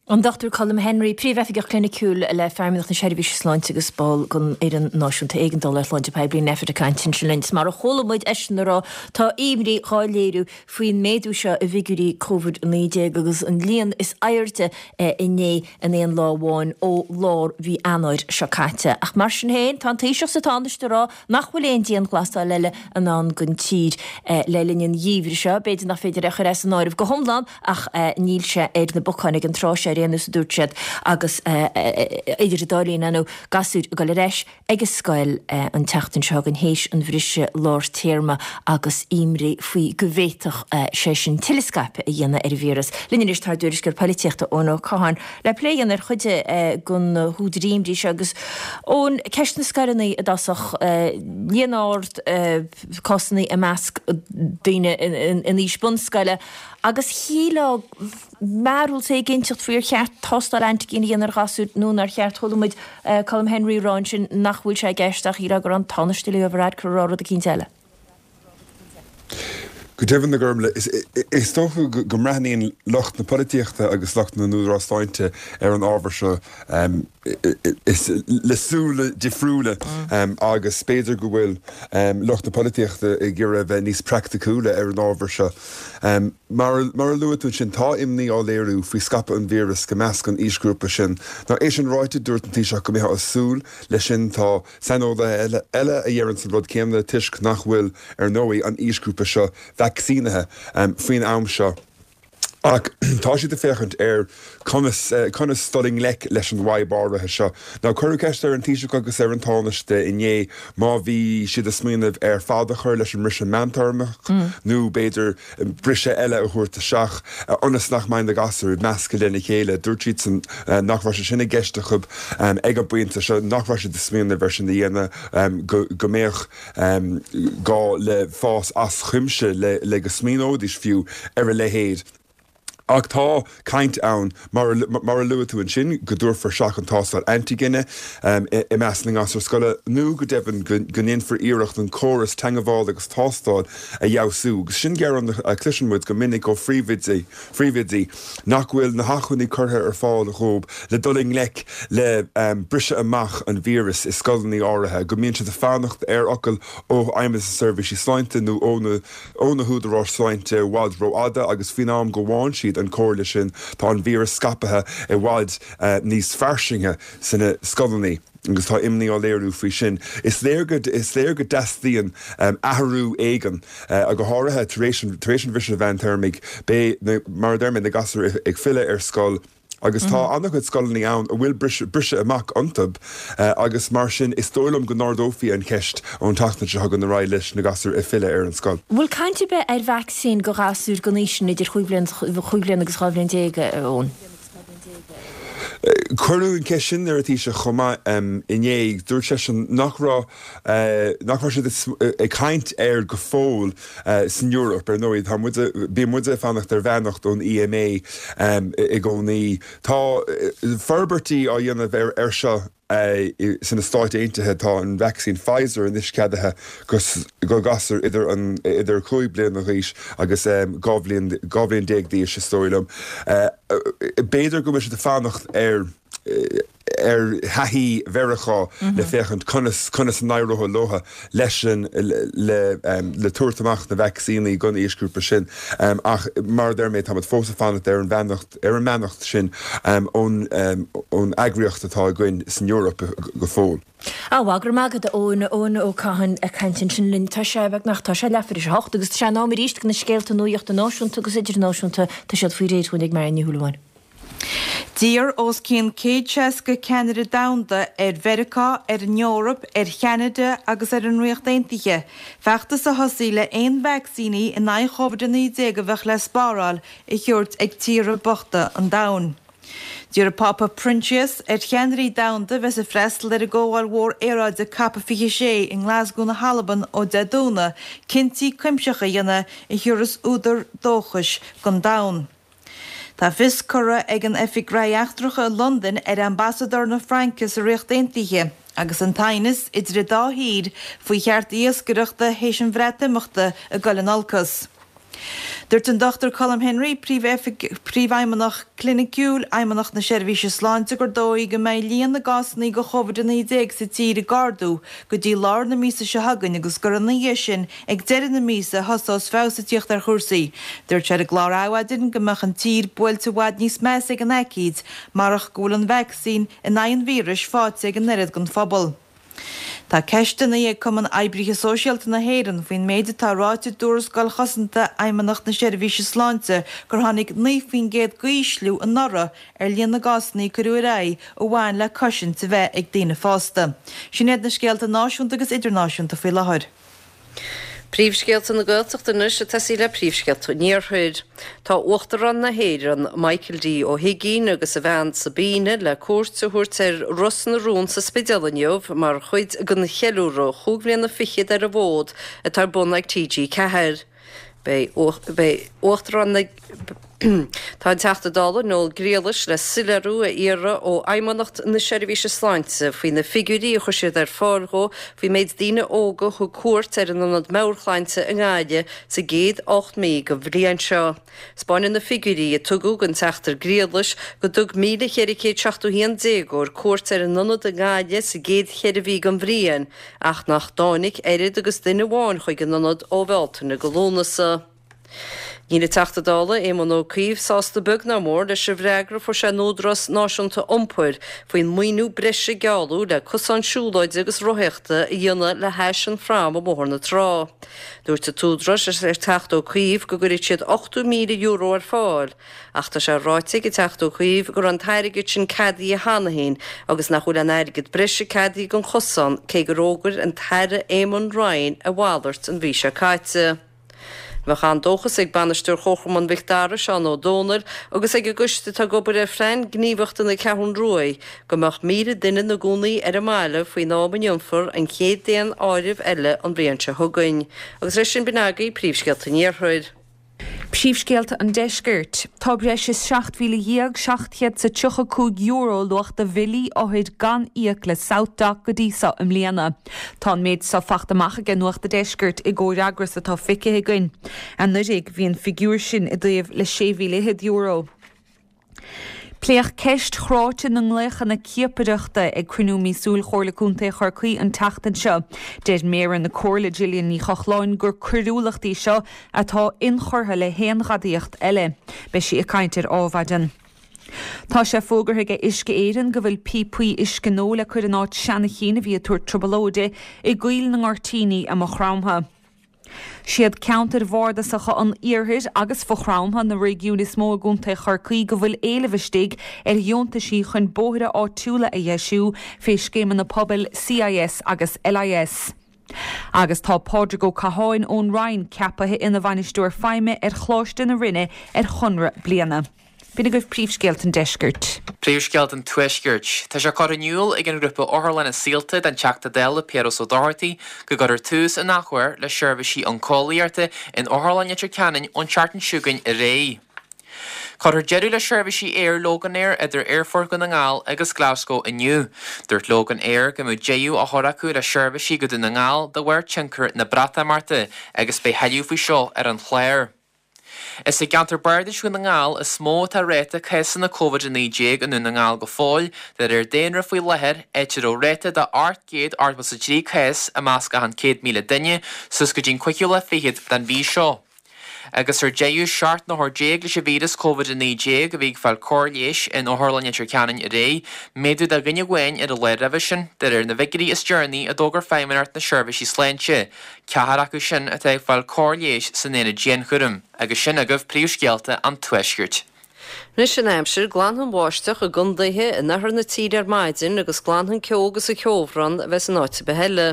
An Dr Colm Henry, Príomhoifigeach Cliniciúil le Feidhmeannacht na Seirbhíse Sláinte agus ball den Fhoireann Náisiúnta Éigeandála ar Shláinte Poiblí, Nphet ag caint ansin linn. Is mar a chuala muid eisean a rá, tá imní dhá léiriú faoin méadú seo i bhfigiúirí Covid-19 agus an líon is airde inné in aon lá amháin ó lár mhí Eanáir seo caite. Ach mar sin féin, tá an Taoiseach is an Tánaiste ag rá nach bhfuil aon dianghlasáil eile i ndán don tír le linn an gheimhridh seo. B'fhéidir nach féidir é a chur as an áireamh go hiomlán ach níl sé ar na bacáin ag an tráth seo ar aon nós, a dúirt siad, agus idir an dá linn, ar ndóigh, gasúir ag dul ar ais ag an scoil an tseachtain seo chugainn théis an bhriseadh lár téarma agus imní faoi go bhféadfadh sé sin tuilleadh scaipeadh a dhéanamh ar an víreas. Linn anois tá ár dtuairisceoir polaitíochta Eoin Ó Catháin le plé a dhéanamh ar chuid de na húdair imní seo agus Eoin, ceist na scoileanna i dtosach, líon ard cásanna i measc daoine in aois bunscoile agus shílfeá mearbhall éiginnteacht faoi ar cheart tástáil antigine a dhéanamh ar ghasúir nó nár cheart. Chuala muid Colm Henry ag rá ansin nach bhfuil sé i gceist ach shílfeá go raibh an Tánaiste Leo Varadkar ag rá rud eicínt eile. Go deimhin, a Ghormlaith, is dócha go mbreathnaíonn lucht na polaitíochta agus lucht na n-údarás sláinte ar an ábhar seo le súile difriúla agus b'fhéidir go bhfuil lucht na polaitíochta ag iarraidh a bheith níos praiticiúla ar an ábhar seo. Mar a luaigh tú ansin, tá imní á léiriú faoi scaipeadh an víreas go measc an aoisghrúpa sin. Now, é sin ráite, dúirt an Taoiseach go mbeifeá ag súil leis sin. Tá saineolaithe eile a dheireanns an rud céanna toisc nach bhfuil, ar ndóigh, an aoisghrúpa seo vacsaínithe faoin am seo. Ach tá siad ag féachaint ar conas conas dul i ngleic leis an bhfadhb áirithe seo. Now cuireadh ceist ar an Taoiseach agus ar an Tánaiste inné má bhí siad ag smaoineamh ar fad a chur leis an mbriseadh meántéarmach nó b'fhéidir briseadh eile a thabhairt isteach ionas nach mbeidh na gasúir measctha lena chéile. Dúirt siadsan nach raibh sé sin i gceist acu ag an bpointe seo, nach raibh siad ag smaoineamh ar sin a dhéanamh, go go mbeadh gá le fás as cuimse le go smaoineoidís fiú ar a leithéid. Ach tá caint ann, mar a luaigh tú ansin, go dtabharfar isteach an tástáil antigine i measc na ngasúr scoile nó go deimhin go ndéanfar iarracht an córas teagmhála agus tástáil a fheabhsú. Agus sin gearán a chloiseann muid go minic ó phríomhoidí. phríomhoidí nach bhfuil na hacmhainní curtha ar fáil dhóibh le dul i ngleic le briseadh amach an víris i scoileanna áirithe, go mbíonn siad ag fanacht ar fhocal ó Fheidhmeannas na Seirbhísí Sláinte nó ó na ó na húdaráis sláinte i bhfad rófhada agus faoin am go bhfaigheann siad an chomhairle sin tá an víreas scaipthe i bhfad níos fairsinge sna scoileanna. agus tá imní á léiriú faoi sin. Is léir go is léir go dteastaíonn athrú éigin, go háirithe tar éis an tar éis an bhriseadh mheántéarmaigh. Beidh na, mar a deir mé, na gasúir ag filleadh ar scoil. Agus tá an-chuid scoileanna ann a bhfuil briseadh amach iontu agus mar sin is dóigh liom go n-ardófaí an cheist ón tseachtain seo chugainn ar aghaidh leis na gasúir ag filleadh ar an scoil. Bhfuil caint ar bith ar vacsaín go ghasúir den aois sin idir chúig bhliana agus 12 bhliain, a Eoin? Cuireadh an cheist sin ar an Taoiseach chomh maith inné. Dúirt seisean nach raibh nach raibh siad ag caint air go fóill san Eoraip. Ar ndóigh, tá muid, bíonn muid ag fanacht ar bheannacht ón EMA i gcónaí. Tá forbairtí á dhéanamh air seo Sna Stáit Aontaithe tá an vacsaín Pfizer anois ceadaithe go gasúir idir an idir 5 bliana d'aois agus 12 bhliain 12 bhliain d'aois is dóigh liom. B'fhéidir go bhfuil siad ag fanacht ar ar thaithí Mheiriceá le féachaint conas conas a n-éireoidh leo leis an le le tabhairt amach na vacsaíní don aoisghrúpa sin. Ach mar a deir mé táimid fós ag fanacht ar an bheannacht ar an mbeannacht sin ón eagraíocht atá againn san Eoraip go fóill. Á, bhuel, go raibh maith agat, a Eoin, Eoin Ó Catháin ag caint ansin linn. Tá sé beagnach, tá sé leathuair tar éis a hocht agus tá sé in am arís do na scéalta nuachta náisiúnta agus idirnáisiúnta. Tá siad faoi réir dhúinn ag Máire Ní Shúilleabháin. D'iarr os cionn 160 ceannaire domhanda ar Mheiriceá, ar an Eoraip, ar Cheanada agus ar an Ríocht Aontaithe feachtas a thosaí le aon vacsaíní in aghaidh Covid-19 a bheadh le spáráil a thabhairt ag tíortha bochta an domhain. D'iarr an Pápa Proinsias ar cheannairí domhanda a bheas ag freastal ar an gcomhdháil mhór aeráide Cop 26 i nGlasgow na hAlban ó Dé Domhnaigh cinntí cuimsitheacha a dhéanamh a thiúrfas údar dóchais don domhan. Tá fios curtha ag an Oifig Gnóthaí Eachtracha i Londain ar Ambasadóir na Fraince sa Ríocht Aontaithe agus an t-aighneas idir an dá thír faoi chearta iascaireachta théis an Bhreatimeachta ag dul in olcas. Dúirt an Dr Colm Henry, Príomhfheidhmeannach Cliniciúil Fheidhmeannacht na Seirbhíse Sláinte gur dóigh go mbeidh líon na gcásanna de Covid-19 sa tír ag ardú go dtí lár na míosa seo chugainn agus gur ina dhiaidh sin ag deireadh na míosa a thosós feabhas ag tíocht ar chúrsaí. Dúirt sé ar an gclár Adhmhaidin go mbeadh an tír buailte i bhfad níos measa ag an aicíd marach go bhfuil an vacsaín in aghaidh an víris faighte ag an oiread den phobal. Tá ceisteanna ag Cumann Oibrithe Sóisialta na hÉireann faoin méid atá ráite i dtuarascáil chosanta Fheidhmeannacht na Seirbhíse Sláinte gur tháinig 9% d'ísliú anuraidh ar líon na gcásanna a cuireadh ar aghaidh a bhain le cosaint a bheith ag daoine fásta. Sin iad na scéalta náisiúnta agus idirnáisiúnta faoi láthair. Príomhscéalta na Gaeltachta anois ag tosaí le príomhscéalta an Iarthair. Tá Uachtarán na hÉireann, Michael D. Ó hUigínn agus a bhean Sabina le cuairt a thabhairt ar Ros na Rún sa Spidéal inniu mar chuid den cheiliúradh chúig bhliana fichead ar an bhfód atá ar bun ag TG4. Beidh Uachtarán na. Tá an Teachta Dála Noel Griallais le soiléiriú a iarraidh ó Fheidhmeannacht na Seirbhíse Sláinte faoi na figiúirí a chuir siad ar fáil dhó faoin méid daoine óga a thug cuairt ar an Ionad Meabhairshláinte i nGaillimh sa gcéad 8 mí den bhliain seo. 'Spáineann na figiúirí a tugadh don Teachta Griallais go dtug 1,471 déagóir cuairt ar an ionad i nGaillimh sa gcéad cheithre mhí den bhliain ach nach dtáinig oiread agus duine amháin chuig an ionad ó Bhealtaine go Lúnasa. Níl an Teachta Dála Éamon Ó Cuív sásta beag ná mór leis an bhfreagra a fuair sé ón Údarás Náisiúnta Iompair faoin maoiniú breise a gealladh le cosán siúlóide agus rothaíochta a dhéanamh le hais an phrám i mBóthar na Trá. Dúirt an tÚdarás leis an Teachta Ó Cuív go gcuirfeadh siad €80,000 ar fáil ach tá sé ráite ag an Teachta Ó Cuív go raibh an t-airgead sin ceadaithe cheana féin agus nach bhfuil aon airgead breise ceadaithe don chosán cé gur fhógair an tAire Eamon Ryan a mhalairt an mhí seo caite. Bheadh an-dóchas ag Bainisteoir Chomharchumann Mhic Dara, Seán Ó Dónaill, agus ag an gcoiste atá ag obair ar Phlean Gníomhaíochta na Ceathrún Ruaidh go mbeadh 1,000 duine ina gcónaí ar an mbaile faoin am a ndéanfar an chéad daonáireamh eile an bhliain seo chugainn. Agus leis sin b'in agaibh príomhscéalta an Iarthair. Príomhscéalta an Deiscirt. Tá breis is €17,735 luach de bhillí othair gan íoc le SouthDoc go dtí so i mbliana. Tá an méid so fachta amach aige Nuacht a' Deiscirt i gcomhfhreagras atá feicthe againn. Anuraidh bhí an figiúr sin i dtaobh le €6,000. Pléadh ceist chráite na nglaochanna ciapaireachta ag cruinniú míosúil Chomhairle Contae Chorcaí an tseachtain seo. Deir Méara na Comhairle Gillian Ní Chochláin gur coiriúlacht í seo atá inchurtha le haon ghadaíocht eile. Beidh sí ag caint ar Ádhmhaidin. Tá sé fógartha ag Uisce Éireann go bhfuil píopaí uisce nua le cur in áit seana chinn a bhí ag tabhairt trioblóide i gCoill na nGoirtíní i Maigh Chromtha. Siad ceantair bhardasacha an iarthair agus Mhaigh Chromtha na réigiúin is mó i gContae Chorcaí go bhfuil éileamh istigh ar dheontaisí chun bóithre áitiúla a dheisiú fé scéimeanna pobail CIS agus LIS. Agus tá Pádraig Ó Catháin ón Rinn ceapaithe ina Bhainisteoir Feidhme ar Choláiste na Rinne ar chonradh bliana. B'in agaibh príomhscéalta an deiscirt. Príomhscéalta an tuaiscirt. Tá sé curtha in iúl ag an ghrúpa Otharlanna Saolta don Teachta Dála Piaras Ó Dochartaigh go gcuirfear tús an athuair le seirbhísí oncólaíochta in Otharlann Leitir Ceanainn ón tseachtain seo chugainn ar aghaidh. Cuirfear deireadh le seirbhísí aeir Loganair idir Aerfort Dhún na nGall agus Glasgow inniu. Dúirt Loganair go mbeadh deireadh á chur acu le seirbhísí go Dún na nGall de bharr tionchar na Breatimeachta agus beidh tuilleadh faoi seo ar an chlár. Is i gceantar bardais Dhún na nGall is mó atá ráta cásanna Covid-19 i nDún na nGall go fóill, de réir daonra faoi láthair, áit a raibh ráta de 883 cás i measc achan 100,000 duine suas go dtí'n cúigiú lá fichead den mhí seo. Agus ar deireadh, 17 n-othar leis an víreas Covid-19 a bhí ag fáil cóir leighis in Otharlann Leitir Ceanainn aréir, méadú de dhuine amháin ar an lá roimhe sin, de réir na bhfigiúirí is deireanaí a d'fhógair Feidhmeannacht na Seirbhísí Sláinte. Ceathrar acu sin atá ag fáil cóir leighis san aonad dianchúraim, agus sin agaibh príomhscéalta an Tuaiscirt. Anois an aimsir, glanfaidh an bháisteach i gcondaetha in oirthear na tíre ar maidin agus glanfaidh an ceo agus an ceobhrán a bheas in áit ar bith eile.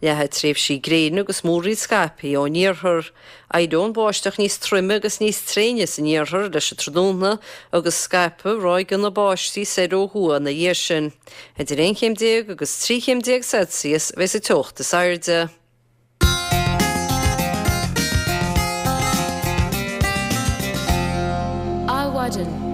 Leathfaidh tréimhsí gréine agus múraíl scaipthe ón iarthar. Éireoidh an bháisteach níos troime agus níos tréine san iarthar leis an tráthnóna agus scaipfidh ráigeanna báistí soir ó thuaidh ina dhiaidh sin. Idir 11 chéim agus 13 chéim Celsius a bheas an teocht is airde. Adhmhaidin.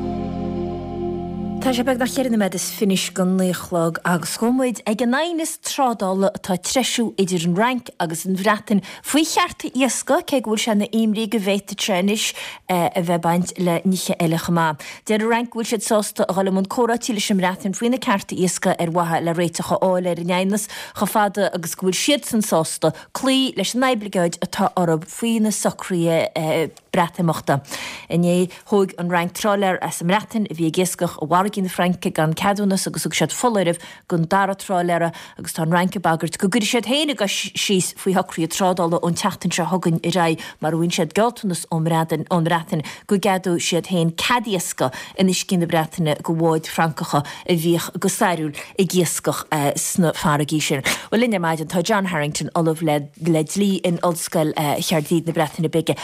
Tá sé beagnach cheithre nóiméad is fiche go naoi a chlog agus gabhfaidh muid ag an aighneas trádála atá ag treisiú idir an Fhrainc agus an Bhreatain faoi chearta iascaigh, cé go bhfuil sé ina imní go bhféadfadh sé anois a bheith ag baint le nithe eile chomh maith. Deir an Fhrainc go bhfuil siad sásta a dhul i mbun comhráití leis an mBreatain faoi na cearta iascaigh ar mhaithe le réiteach a fháil ar an aighneas, chomh fada agus go bhfuil siadsan sásta cloí leis an oibligeáid atá orthu faoi na socruithe Breatimeachta. Inné, thóg an Fhrainc trálaer as an mBreatain a bhí ag iascach i bhfarraigí na Fraince gan ceadúnas agus thug siad foláireamh don dara trálaera agus tá an Fhrainc ag bagairt go gcuirfidh siad féin a gcois síos faoi shocruithe trádála ón tseachtain seo chugainn ar aghaidh mara bhfaigheann siad gealltanas ón mBreatain go gceadóidh siad féin cead iascaigh in uiscí na Breataine do bháid Fhrancacha a bhíodh go stairiúil ag iascach sna farraigí sin. Bhuel linn ar maidin tá John Harrington, Ollamh le Dlí in Ollscoil Chaerdydd na Breataine Bige.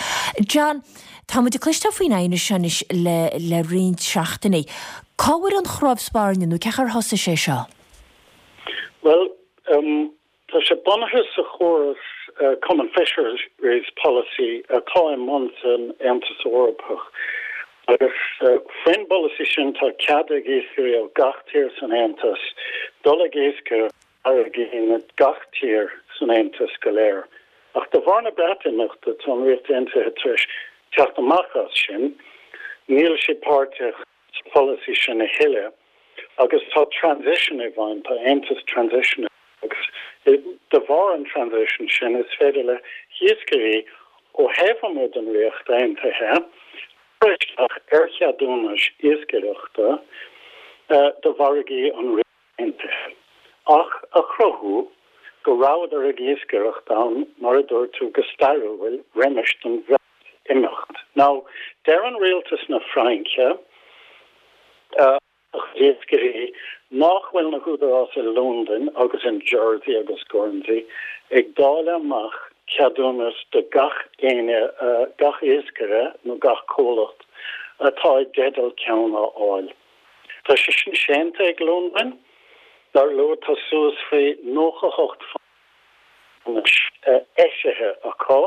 John, tá muid ag cloisteáil faoin aighneas seo anois le roinnt seachtainí. Cá bhfuair an chnámh spairne nó cén chaoi ar thosaigh sé seo? Bhuel, tá sé bunaithe sa chóras Common Fisheries Policy atá i mbun san Aontas Eorpach agus faoin bpolasaí sin tá cead ag iascairí ó gach tír san Aontas dul ag iascaireacht i bhfarraigí na gach tír san Aontas go léir. Ach de bharr na Breatimeachta tá an Ríocht Aontaithe tar éis teacht amach as sin, níl siad páirteach sa pholasaí sin a thuilleadh agus tá transition i bhfeidhm, tá aontas transition agus de bharr an transition sin is féidir le hiascairí ó thaobh amuigh den Ríocht Aontaithe cur isteach ar cheadúnais iascaireachta do mhargaí an Ríocht Aontaithe ach a chruthú go rabhadar ag iascaireacht ann mar a dúirt tú go stairiúil roimis don imeacht. Now, deireann rialtas na Fraince, a chuid iascairí, nach bhfuil na húdaráis i Londain agus in Jersey agus Guernsey ag dáileadh amach ceadúnas do gach éinne, gach iascaire nó gach comhlacht atá i dteideal ceann a fháil. Tá sé sin séanta ag Londain. Dar leo tá suas faoi 98 ceadúnais eisithe acu.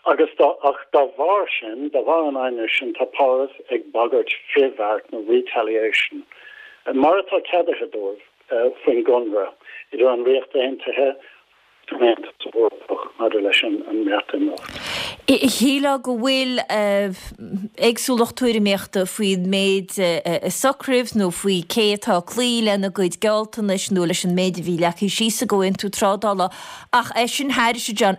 Agus dá, ach dá bharr sin, dá bharr an aighnis sin, tá Páras ag bagairt frithbheart nó retaliation, mar atá ceadaithe dóibh faoin gconradh idir an Ríocht Aontaithe agus an Aontas Eorpach maidir leis an mBreatimeacht. Shílfeá go bhfuil éagsúlacht tuairimíochta faoin méid a socraíodh nó faoi cé atá ag cloí lena gcuid gealltanais nó leis an méid a bhí leagtha síos i gcomhaontú trádála Ach é sin thairis, a John,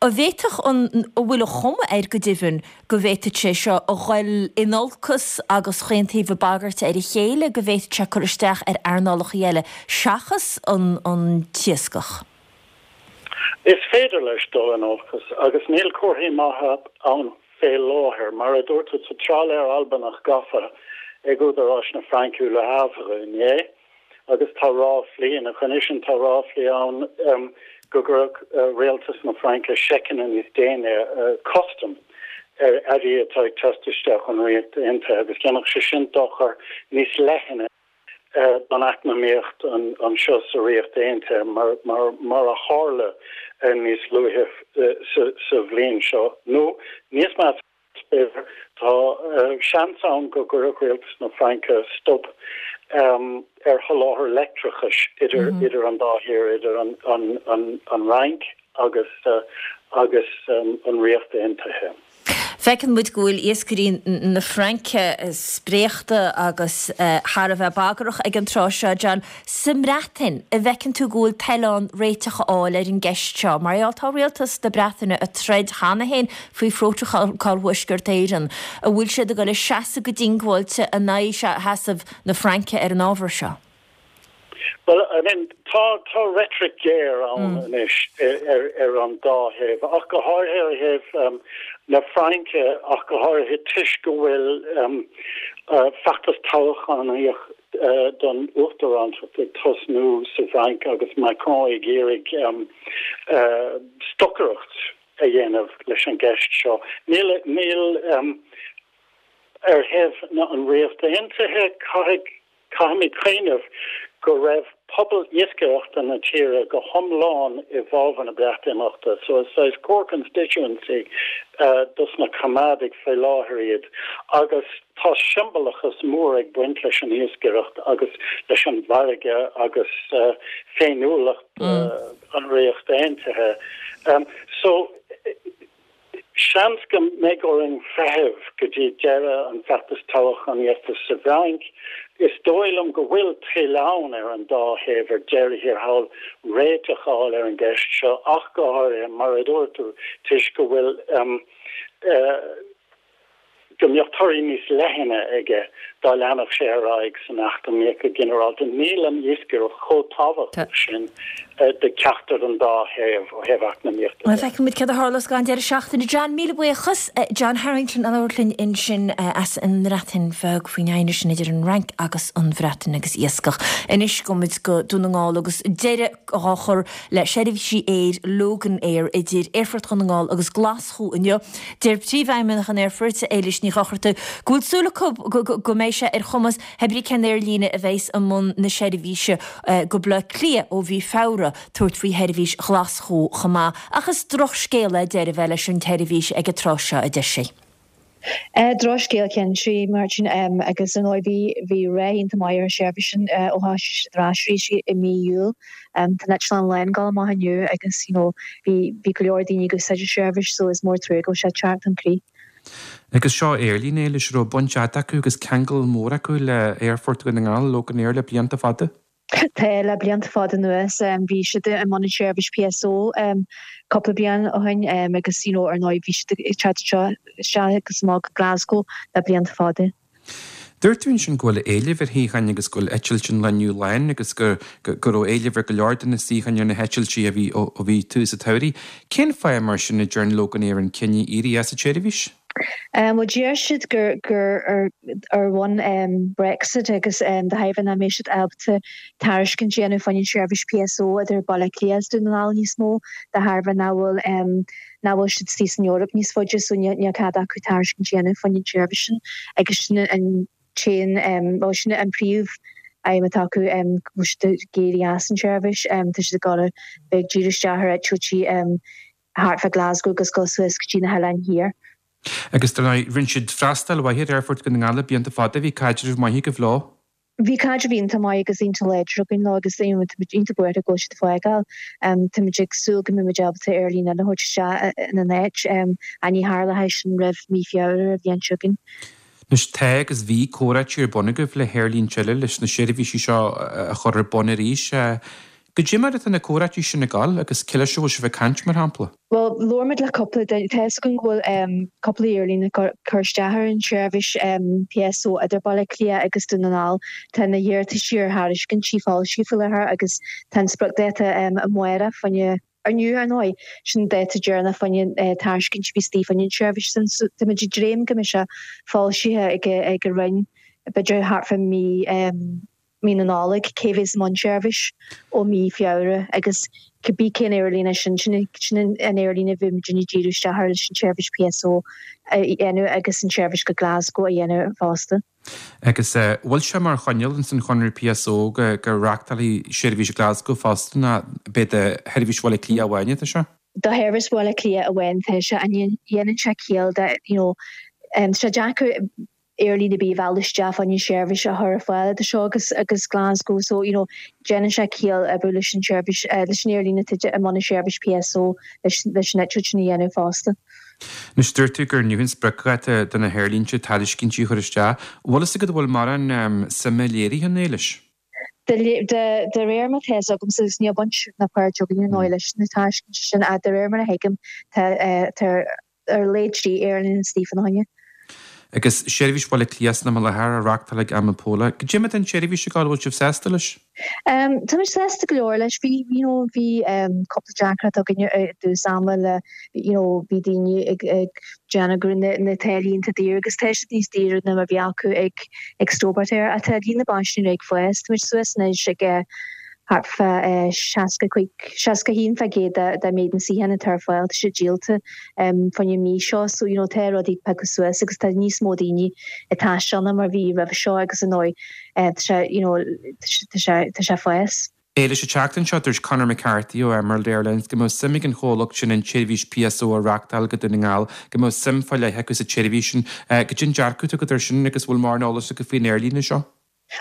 an bhféadfadh an, an bhfuil an chuma air go deimhin go bhféadfadh sé seo a ghoil in olcas agus chaon taobh ag bagairt ar a chéile, go bhféadfadh sé cur isteach ar earnálacha eile seachas an, an t-iascach? Is féidir leis dul in olcas agus níl comharthaí maithe ann fé láthair. Mar a dúirt tú, tá trálaer Albanach gafa ag údaráis na Fraince i Le Havre inné agus tá ráflaí, ina choinne sin tá ráflaí ann go gcuirfeadh rialtas na Fraince seiceanna níos déine custaim ar earraí atá ag teacht isteach ón Ríocht Aontaithe agus dhéanfadh sé sin dochar níos leithne don eacnamaíocht anseo sa Ríocht Aontaithe, mar a tharla níos luaithe sa bhliain seo, nó níos measa, b'fhéidir, tá seans ann go gcuirfeadh rialtas na Fraince stop ar sholáthar leictreachais idir an dá thír, idir an Fhrainc agus an Ríocht Aontaithe. Feiceann muid go bhfuil iascairí na Fraince spréachta agus thar a bheith bagrach ag an tráth seo, John. Sa mBreatain, an bhfeiceann tú go bhfuil toil ann réiteach a fháil ar an gceist seo? Mar gheall, tá rialtas na Breataine ag troid cheana féin faoi Phrótacal Thuaisceart Éireann. An bhfuil siad ag dul a seasamh go diongbháilte in aghaidh sheasamh na Fraince ar an ábhar seo? Bhuel, I mean, tá, tá reitric ghéar ann anois ar, ar an dá thaobh, ach go háirithe ar thaobh na Fraince, ach go háirithe toisc go bhfuil feachtas toghchánaíoch don uachtarántacht ag tosnú sa bhFrainc agus Macron ag iarraidh stocaireacht a dhéanamh leis an gceist seo. Níl, níl, ar thaobh an Ríocht Aontaithe, caithfidh Caithfimid cuimhneamh go raibh pobal iascaireachta na tíre go hiomlán i bhfabhar na Breatimeachta, so is saghas core constituency dos na Coimeádaigh faoi láthair iad agus tá siombalachas mór ag baint leis an iascaireacht agus leis an bhfarraige agus féiniúlacht an Ríocht Aontaithe. So. Seans go mbeidh orainn feitheamh go dtí deireadh an feachtais toghchánaíochta sa bhFrainc. Is dóigh liom go bhfuil toil ann ar an dá thaobh ar deireadh thiar thall réiteach a fháil ar an gceist seo, ach go háirithe, mar a dúirt tú, toisc go bhfuil go mbeadh torthaí níos leithne aige dá leanfadh sé ar aghaidh san eacnamaíocht go ginearálta. Níl an iascaireacht chomh tábhachtach sin do cheachtar den dá thaobh ó thaobh eacnamaíochta de. Feicfidh muid céard a tharlós ag an deireadh seachtaine. John, míle buíochas. John Harrington ag labhairt linn ansin as an mBreatain Bheag faoin aighneas sin idir an Fhrainc agus an Bhreatain agus iascach. Anois gabhfaidh muid go Dún na nGall agus deireadh á chur le seirbhísí aeir Loganair idir Aerfort Dhún na nGall agus Glaschú inniu. Deir Príomhfheidhmeannach an Aerfoirt, Éilis Ní Dhochartaigh, go bhfuil súil acu go mbeidh sé ar chumas hebrí cén aerlíne a bheas i mbun na seirbhíse go Baile Átha Cliath ó mhí Feabhra tabhairt faoi sheirbhís Ghlaschú chomh maith. Ach is drochscéal é deireadh a bheith leis an tseirbhís ag an tráth seo, a deir sí. Drochscéal cinnte, Máirtín, agus ar ndóigh bhí bhí rath iontach maith ar an seirbhís sin ó thosaigh siad ar ais arís i mí Iúil. Tá an eitleán lán ag dul amach inniu agus you know bhí bhí go leor daoine ag úsáid an seirbhís so is mór trua go bhfuil sé ag teacht chun críche. Agus seo aerlíne, Éilis, a raibh baint fhada acu agus ceangal mór acu le Aerfort Dhún na nGall, Loganair le blianta fada. Tá, le blianta fada anuas. Bhí siad i mbun an seirbhís PSO cúpla bliain ó shin agus you know ar ndóigh bhí siad ag teacht anseo isteach agus amach go Glasgow le blianta fada. Dúirt tú ansin go bhfuil éileamh ar shuíocháin agus go bhfuil eitilt an lae inniu lán agus go go raibh éileamh ar go leor de na suíocháin ar na heitiltí a bhí ó bhí tús an tsamhraidh. Cén fáth mar sin a ndearna Loganair an cinneadh éirí as an tseirbhís? Bhuel deir siad gur gur ar ar bhonn Brexit agus de thairbhe nach mbeidh siad ábalta tairiscint a dhéanamh fá choinne an seirbhís PSO idir Baile Átha Cliath agus Dún na nGall níos mó de thairbhe nach bhfuil nach bhfuil siad istigh san Eoraip níos faide so níl níl cead acu tairiscint a dhéanamh fá choinne an tseirbhís sin agus sin an t-aon bhuel sin an príomh aidhm atá acu go bhfuil siad ag éirí as an tseirbhís tá siad ag dul a bheith ag díriú isteach ar eitiltí thart fá Glasgow agus dul suas go dtí na hoileáin thiar. Agus dar ndóigh, rinne siad freastal mhaith ar Aerfort Dhún na nGall le blianta fada, bhí caidreamh maith agaibh leo. Bhí caidreamh iontach maith agus iontach láidir againn leo agus táimid iontach buartha go bhfuil siad ag fágáil. Táimid ag súil go mbeimid ábalta aerlíne eile a thabhairt isteach ina n-áit ach ní tharlóidh sin roimh mí Feabhra an bhliain seo chugainn. Anois tá agus bhí comhráití ar bun agaibh le haerlínte eile leis na seirbhísí seo a chur ar bun arís. Goidé mar atá na comhráití sin ag dul agus cé leis a bhfuil sibh ag caint, mar shampla? Bhuel, labhair muid le cúpla duine. Tá fhios againn go bhfuil cúpla aerlíne ag cur isteach ar an tseirbhís PSO idir Baile Átha Cliath agus Dún na nGall. Tá na hiarrataisí ar thairiscintí foilsithe faoi láthair agus tá an spriocdháta amárach fá choinne. Inniu, ar ndóigh, sin dáta deireanach fá choinne tairiscint a bhí istigh fá choinne an tseirbhís sin, so táimid ag dréim go mbeidh sé foilsithe ag ag an Roinn b'fhéidir thart fá mí mí na Nollag cé bhéas i mbun seirbhís ó mí Feabhra agus cibé cén aerlíne sin, sin sin an aerlíne a bheidh muidinne ag díriú isteach air leis an tseirbhís PSO a dhéanamh agus an tseirbhís go Glasgow a dhéanamh fosta. Agus bhfuil sé mar choinníoll ins an chonradh PSO go go reachtálfaí seirbhís Glasgow fosta nó ab é do sheirbhís Bhaile Átha Cliath amháin atá sé? Do sheirbhís Bhaile Átha Cliath amháin atá sé. An dhéanann sé ciall do you know tá sé deacair aerlíne ar bith a mhealladh isteach fá choinne seirbhís a chur ar fáil idir seo agus agus Glasgow so you know déanann sé ciall oibriú leis an seirbhís leis an aerlíne atá i mbun an seirbhís PSO leis leis an eitilt sin a dhéanamh fosta. Anois, dúirt tú gur inniu an spriocdháta do na haerlínte tairiscintí a chur isteach. Bhfuil fhios agat an bhfuil mórán suime léirithe ann, Éilis? De réir mar atá fhios agamsa, agus níl baint ná páirt againn ar ndóigh leis na tairiscintí sin, ach de réir mar a thuigim, tá ar a laghad 3 aerlíne istigh fána choinne. Agus seirbhís Bhaile Átha Cliath san am i láthair á reachtáil ag Amapola. Goidé mar atá an tseirbhís ag gabháil, bhfuil sibh sásta leis? Tá muid sásta go leor leis. Bhí, you know, bhí cúpla deacracht againn i dtús ama le, you know, bhí daoine ag ag déanamh go raibh na na táillí iontach daor agus tá siad níos daoire ná mar bhí acu ag ag Stobart Air ach tá líon na bpaisinéirí ag fás. Tá muid suas anois ag thart fá 65, 61% de de méid na suíochán atá ar fáil, tá siad díolta fá choinne an mhí seo so, you know, tá rudaí ag piocadh suas agus tá níos mó daoine ag taisteal ná mar a bhí roimhe seo agus ar ndóigh tá sé, you know, tá sé, tá sé ag fás. Éilis, an tseachtain seo dúirt Conor McCarthy ó Emerald Airlines go mbeadh suim ag an chomhlacht sin an tseirbhís PSO a reachtáil go Dún na nGall, go mbeadh suim fá leith acu sa tseirbhís sin. Goidé an dearcadh atá agat air sin agus bhfuil mórán eolais agat faoin aerlíne seo?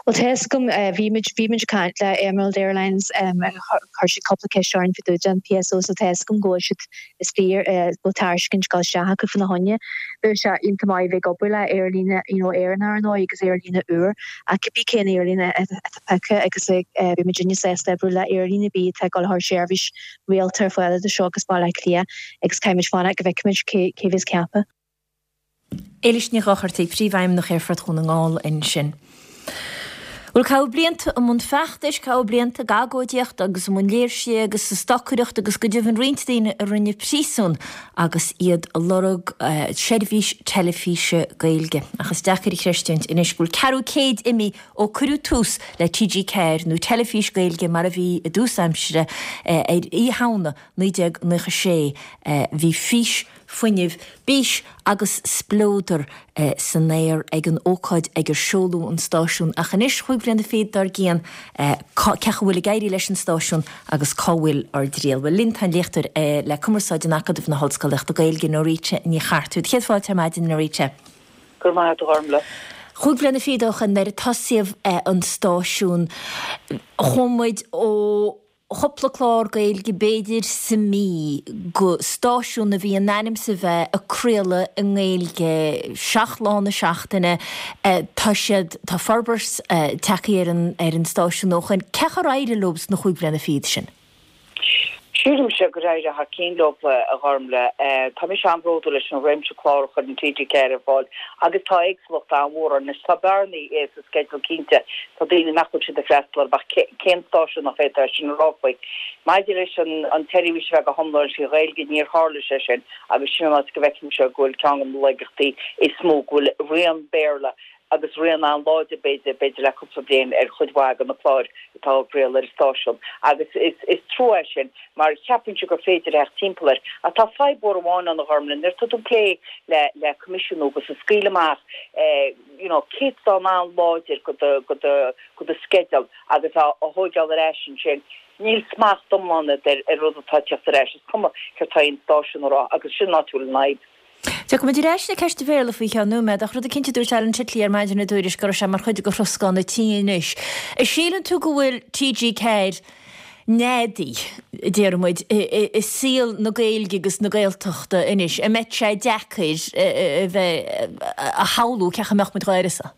Bhuel, tá fhios agam, bhí muid, bhí muid ag caint le Emerald Airlines, chuir siad cúpla ceist orainn fá dtaobh den PSO so tá fhios agam go bhfuil siad istigh, go bhfuil tairiscint ag dul isteach acu fána choinne. Bheadh sé iontach maith a bheith ag obair le aerlíne, you know, Éireannach ar ndóigh agus aerlíne úr ach cibé cén aerlíne atá pioctha agus beidh muidinne sásta oibriú le aerlíne ar bith atá ag dul a chur seirbhís rialta ar fáil idir seo agus Baile Átha Cliath agus caithfidh muid fanacht go bhfeicfimid cé, cé bheas ceaptha. Éilis Ní Dhochartaigh, Príomhfheidhmeannach Aerfort Dhún na nGall ansin. Bhuel, caitheadh blianta i mbun feachtais, caitheadh blianta ag agóidíocht agus i mbun léirsithe agus ag stocaireacht agus go deimhin roinnt daoine a rinne príosún agus iad ag lorg seirbhís teilifíse Gaeilge. Ach is deacair a chreistiúint anois go bhfuil ceathrú céid imithe ó cuireadh tús le TG4 nó teilifís Gaeilge mar a bhí i dtús aimsire ar Oíche Shamhna 1996. Bhí fís fuinneamh, bís agus spleodar san aer ag an ócáid ag ar seoladh an stáisiún ach anois, chúig bhliana fichead dár gcionn, cé chaoi a bhfuil ag éirí leis an stáisiún agus cá bhfuil ár dtriall? Bhuel, linn tá an léachtóir le Cumarsáid in Acadamh na hOllscolaíochta Gaeilge, Norita Ní Chartúir. Céad fáilte ar maidin, Norita. Go raibh maith agat, a Ghormlaith. Chúig bhliana fichead ó shoin nuair a tosaíodh an stáisiún, chuaigh muid ó chúpla clár Gaeilge b'fhéidir sa mí go stáisiún a bhí in ainm is a bheith ag craoladh i nGaeilge 7 lá na seachtaine. Tá siad, tá forbairt tagtha ar an ar an stáisiún ó shoin. Cén chaoi ar éirigh leo sna chúig bhliana fichead sin? Sílimse gur éirigh thar cinn leo, a Ghormlaith. Tá mise an-bhródúil leis an réimse clár a chuireann TG4 ar fáil agus tá éagsúlacht an-mhór ann. Anois tá bearnaí sa sceideal cinnte, tá daoine nach bhfuil siad ag freastal orthu ach cén stáisiún nach bhféadfá é sin a rá faoi? Maidir leis an tseirbhís a bheith go hiomlán trí Ghaeilge, níor tharla sé sin agus sin an áit go bhfeicimse go bhfuil ceann de na laigeachtaí is mó, go bhfuil rian Béarla agus rian an-láidir b'fhéidir, b'fhéidir le cúpla bliain ar chuid mhaith de na cláir atá á gcraoladh ar an stáisiún agus is trua é sin mar cheapfainnse gur féidir a theacht timpeall air. Ach tá fadhb mhór amháin ann a Ghormlaith, nuair atá tú ag plé le le coimisiúnú agus ag scaoileadh amach you know céatadán an-láidir de do de do de do sceideal agus á thóigeáil ar ais ansin, níl smacht iomlán agat ar ar rud atá ag teacht ar ais, is cuma céard tá aon stáisiún a rá agus sin an áit a bhfuil an fhadhb. Tiocfaidh muid ar ais le ceist an Bhéarla faoi cheann nóiméad, ach rud eicínt a dúirt Alan Titley ar maidin i dTuairisc go raibh sé mar chuid de throscán an tí anois. An síleann tú go bhfuil TG4 neadaithe, a déarfaidh muid, i saol na Gaeilge agus na Gaeltachta anois? An mbeidh sé deacair a bheith a shamhlú cén chaoi a mbeadh muid dhá uireasa?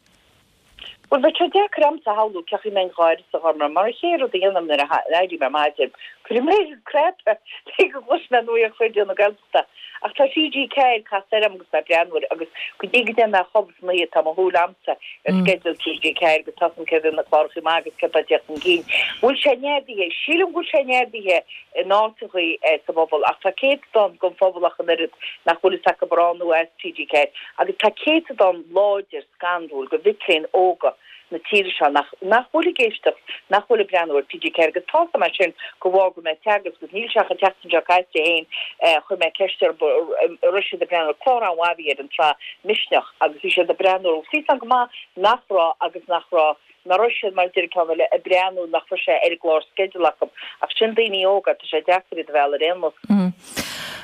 Bhuel, bheadh sé deacair a'msa a shamhlú cén chaoi a mbeinn dhá uireasa a Ghormlaith, mar an chéad rud a dhéanaim nuair a éirím ar maidin, cuirim mé ar an cnaipe le go gcloisfidh mé nuacht Raidió na Gaeltachta. Ach tá TG4 casta air a'm agus mé ag breathnú air agus go dtí go dtéann mé a chodladh san oíche tá mo shúil a'msa ar sceideal TG4 agus tá 'fhios a'm céard iad na clárachaí maithe agus céard atá ag tíocht chun cinn. Bhfuil sé neadaithe? Sílim go bhfuil sé neadaithe in áiteachaí sa bpobal ach tá céatadán den phobal ach an oiread nach bhfuil fhios acu ar ann nó as TG4 agus tá céatadán láidir scanrúil de mhic léinn óga na tíre seo nach nach bhfuil ag éisteacht, nach bhfuil ag breathnú ar TG4 agus tá 'fhios a'm é sin de bharr go bhfuil mé ag teagasc agus níl sé ach an tseachtain seo caite féin chuir mé ceist orthu an raibh siad ag breathnú ar clár an-mhaith a bhí ar an tsraith Misneach agus bhí siad ag breathnú air agus bhí 'fhios a'm go maith nach raibh agus nach raibh nach raibh siad mar a deir an ceann eile ag breathnú nach raibh sé ar an gclársceideal acu ach sin daoine óga tá sé deacair iad a mhealladh ar aon nós.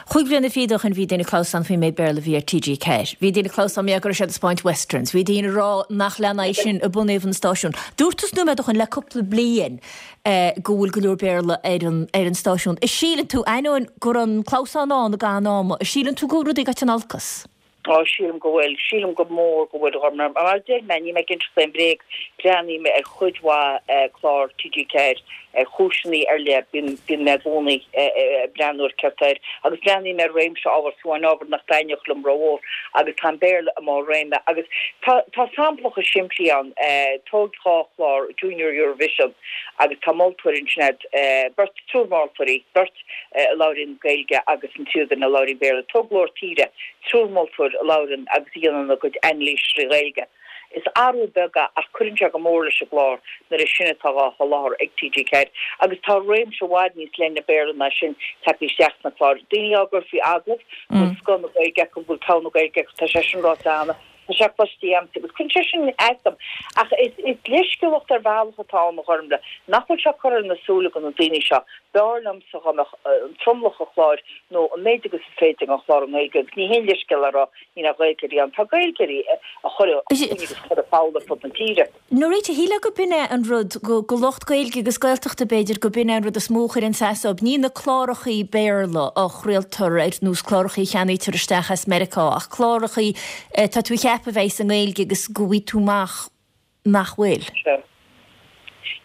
Chúig bhliana fichead ó shin bhí daoine ag clamhsán faoin méid Béarla a bhí ar TG4. Bhí daoine ag clamhsán mar go raibh siad ag 'spáint westerns. Bhí daoine ag rá nach leanfaí sin i bunaobh an stáisiúin. Dúirt tusa nóiméad ó shin le cúpla bliain go bhfuil go leor Béarla ar an ar an stáisiún. An síleann tú, ainneoin go raibh an clamhsán ann i gcaitheamh an ama, an síleann tú go bhfuil rudaí ag dul in olcas? Á, sílim go bhfuil. Sílim go mór go bhfuil, a Ghormlaith. Mar a deir mé, níl mé ag inseacht aon bhréag, breathnaím ar chuid mhaith clár TG4 ar chúiseanna ar leith, bíonn, bíonn mé i gcónaí ag breathnú ar céard atá air, agus breathnaím ar réimse ábhar, fiú amháin ábhar nach dtaitneodh liom rómhór, agus tá an Béarla i mbarr réime. Agus tá, tá samplacha simplí ann, tóg dhá chlár, Junior Eurovision, agus tá moltóir ansin a'd, beirt, triúr moltóirí, beirt, a labhraíonn Gaeilge agus an tríú duine a labhraíonn Béarla. Tóg Glór Tíre, triúr moltóir a labhrann agus a dhéanann a gcuid anailís trí Ghaeilge. Is athrú beag é ach cuireann sé go mór leis an gclár nuair is sin atá dhá sholáthar ag TG4 agus tá réimse i bhfad níos leithne Béarla ná sin tagtha isteach sna cláir. Daoine á gcur faoi agallamh go bhfuil scoth na Gaeilge acu, go bhfuil togha na Gaeilge acu, tá sé sin ráite cheana. Tá sé cloiste a'msa agus cuireann sé sin as dom. Ach is leithscéalacht ar bhealach atá ann, a Ghormlaith, nach bhfuil sé curtha ar na súile go na daoine seo. B'fhearr liomsa dá mbeadh an tromlach an chláir nó an méid agus is féidir den chlár i nGaeilge agus ní haon leithscéal é a rá níl aon Ghaeilgeoirí ann. Tá Gaeilgeoirí ag cur fúthu agus ag cur foghal ar fud na tíre. Norita, shílfeá go b'in é an rud, go lucht Gaeilge agus Gaeltachta b'fhéidir, go b'in é an rud is mó a chuireann as dóibh. Ní na clárachaí Béarla a chraoltar ar nós clárachaí a cheannaítear isteach as Meiriceá ach clárachaí atá tú a cheapadh a bheidh i nGaeilge agus go bhfaighidh tú amach nach bhfuil. Sea.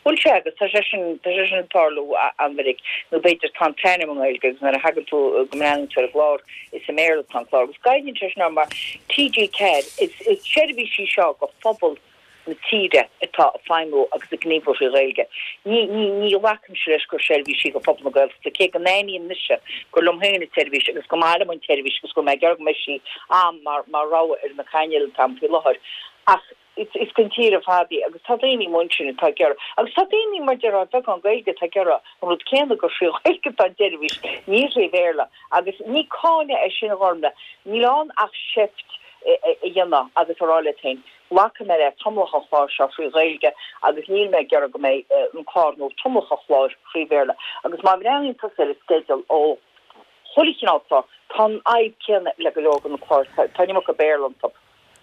Bhuel sea agus tá sé sin, tá sé sin ag tarlú an-mhinic nó b'fhéidir tá an t-ainm i nGaeilge agus nuair a thagann tú go mbreathnaíonn tú ar an gclár is i mBéarla atá an clár agus goineann sé sin orm mar TG4 is, is seirbhís í seo go phobal na tíre atá ag feidhmiú agus ag gníomhú thrí Ghaeilge. Ní, ní, ní ghlacaimse leis gur seirbhís í go phobal na Gaeltachta, cé go n-aithním mise gur liom féin an tseirbhís agus gur maith liom an tseirbhís agus go bhfuil mé ag iarraidh go mbeidh sí a'm mar, mar rogha ar na cainéil atá a'm faoi láthair. Ach is, is don tír ar fad í agus tá daoine amuigh ansin atá ag iarraidh, agus tá daoine mar déarfá ar bheagán Gaeilge atá ag iarraidh an rud céanna gur thrí Ghaeilge atá an tseirbhís, ní thrí Bhéarla. Agus ní cáineadh é sin a Ghormlaith, níl ann ach seift a dhéanamh agus a rá leat féin, Glacfaidh mé le tromlach an chláir seo thrí Ghaeilge agus níl mé ag iarraidh go mbeidh an clár nó tromlach an chláir thrí Bhéarla. Agus má bhreathnaíonn tusa ar an sceideal ó chuile chineál clár, tá an fhadhb céanna le go leor de na cláir, tá an iomarca Béarla iontu.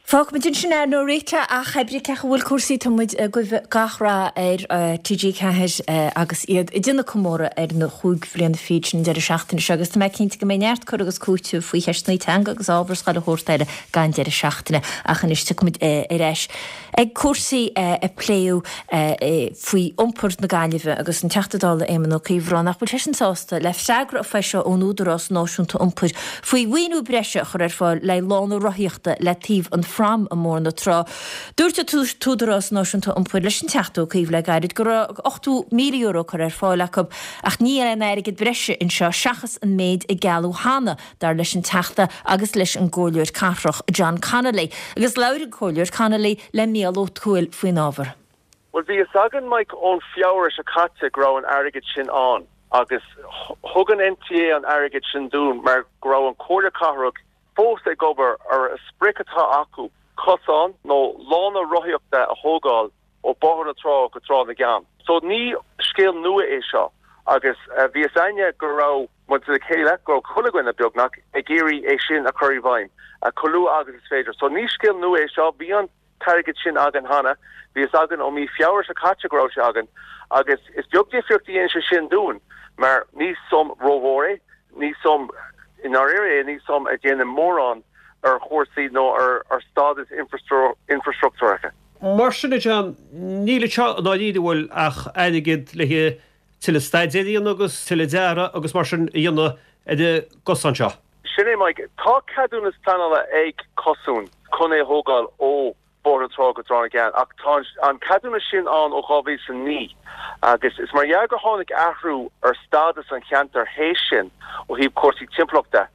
Fágfaimid ansin é, Norita, ach pé brí cén chaoi a bhfuil cúrsaí, tá muid ag guí gach rath ar TG4 agus iad ag déanamh comóradh ar na chúig bhliana fichead sin an deireadh seachtaine seo agus tá mé cinnte go mbeidh neart cur agus cúiteamh faoi cheisteanna teanga agus ábhar is chuile shórt eile gan deireadh seachtaine. Ach anois tiocfaimid ar ais ag cúrsaí a pléadh faoi iompar na Gaillimhe agus an Teachta Dála Éamon Ó Cuív ag rá nach bhfuil seisean sásta le freagra a foilsíodh ón Údarás Náisiúnta Iompair faoi mhaoiniú breise a chur ar fáil le lána rothaíochta le taobh an phrám i mBóthar na Trá. Dúirt an tÚdarás Náisiúnta Iompair leis an Teachta Ó Cuív le gairid go raibh €80,000 curtha ar fáil acu ach níl aon airgead breise anseo seachas an méid a gealladh cheana dar leis an Teachta agus leis an gComhairleoir Cathrach John Connolly. Agus labhair an Comhairleoir Connolly le Mícheál Ó Tuathail faoin ábhar. Bhuel, bhí fhios againn, Mike, ón Feabhra seo caite go raibh an airgead sin ann agus thug an NTA an airgead sin dúinn mar go raibh an Comhairle Cathrach fós ag obair ar a sprioc atá acu cosán nó lána rothaíochta a thógáil ó Bóthar na Trá go Trá na gCeann. So ní scéal nua é seo agus bhí fhios a'inne go raibh muid le chéile, go raibh chuile dhuine, beagnach, ag iarraidh é sin a chur i bhfeidhm chomh luath agus is féidir. So ní scéal nua é seo, bhí an t-airgead sin againn cheana, bhí fhios againn ó mí Feabhra seo caite go raibh sé againn agus is beag difríocht a dhéanann sé sin dúinn mar ní suim rómhór é, ní suim i ndáiríre é, ní suim a dhéanann mórán ar chúrsaí nó ar stádas infreastruchtúrtha. Mar sin, a John, níl anseo i ndáiríre, an bhfuil, ach airgead le haghaidh tuilleadh staidéir a dhéanamh agus tuilleadh dearadh agus mar sin a dhéanamh ar an gcosán seo. Sin é, Mike. Tá ceadúnas pleanála ag Cosán chun é a thógáil ó Bhóthar na Trá go Trá na gCeann ach tá an ceadúnas sin ann ó 2009 agus is mar dhea gur tháinig athrú ar stádas an cheantair théis sin ó thaobh cúrsaí timpeallachta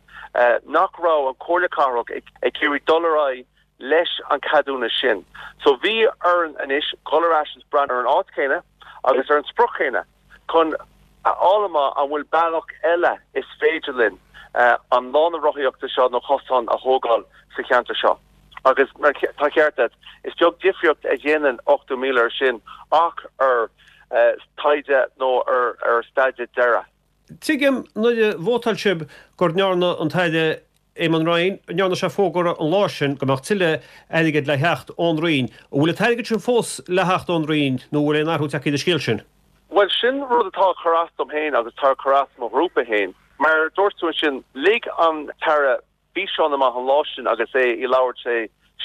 nach raibh an Chomhairle Cathrach ag iarraidh dul ar aghaidh leis an ceadúnas sin. So bhí orainn anois dhul ar ais is breathnú ar an áit chéanna agus ar an sprioc chéanna chun a fháil amach an bhfuil bealach eile is féidir linn an lána rothaíochta seo nó cosán a thógáil sa cheantar seo. Agus mar tá ceart agat, is beag difríocht a dhéanann 80,000 ar sin ach ar taighde nó ar staidéar deiridh. Tuigim nuair a vótáil sibh gur ndearna an tAire Eamon Ryan, ndearna sé fógra an lá sin go mbeadh tuilleadh airgid le theacht ón Roinn. An bhfuil an t-airgead sin fós le theacht ón Roinn nó an bhfuil aon athrú tagtha ar an scéal sin? Bhuel, sin rud atá ag cur as dom féin agus atá ag cur as mo ghrúpa féin. Mar a dúirt tú ansin, lig an tAire físeán amach an lá sin agus é ag labhairt le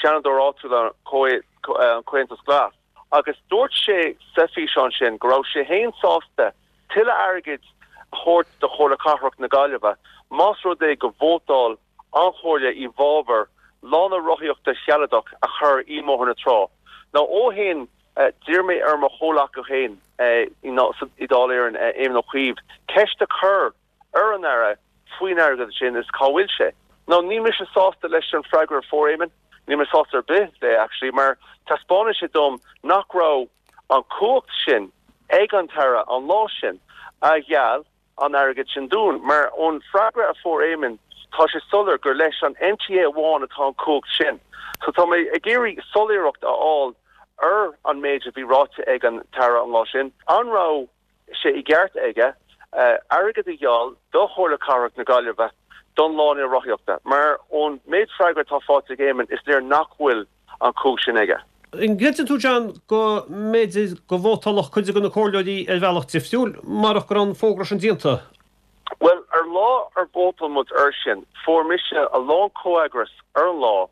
Seanadóir áitiúil an Comhaontas Glas agus dúirt sé sa físeán sin go raibh sé féin sásta tuilleadh airgid a thabhairt do Chomhairle Cathrach na Gaillimhe más rud é go vótáil an Chomhairle i bhfabhar lána rothaíochta shealadach a chur i mBóthar na Trá. Now ó shin d'iarr mé ar mo chomhleacaí féin i Dáil Éireann, Éamon Ó Cuív, ceist a chur ar an Aire faoin airgead sin is cá bhfuil sé. Now níl mise sásta leis an freagra a fuair Éamon, níl mé sásta ar bith le actually mar taispeánann sé dom nach raibh an chumhacht sin ag an tAire an lá sin a gheall an airgead sin dúinn mar ón freagra a fuair Éamon tá sé soiléir gur leis an NTA amháin atá an chumhacht sin. So tá mé ag iarraidh soiléireacht a fháil ar an méid a bhí ráite ag an tAire an lá sin. An raibh sé i gceart aige airgead a gheall do Chomhairle Cathrach na Gaillimhe don lána rothaíochta? Mar ón méid freagra atá faighte ag Éamon is léir nach bhfuil an chumhacht sin aige. An gcreideann tú, John, go mb'fhéidir go vótálfadh cuid de na comhairleoirí ar bhealach difriúil marach go raibh an fógra sin déanta? Bhuel, ar lá ar vótáil muid air sin, fuair mise a lán comhfheagras ar an lá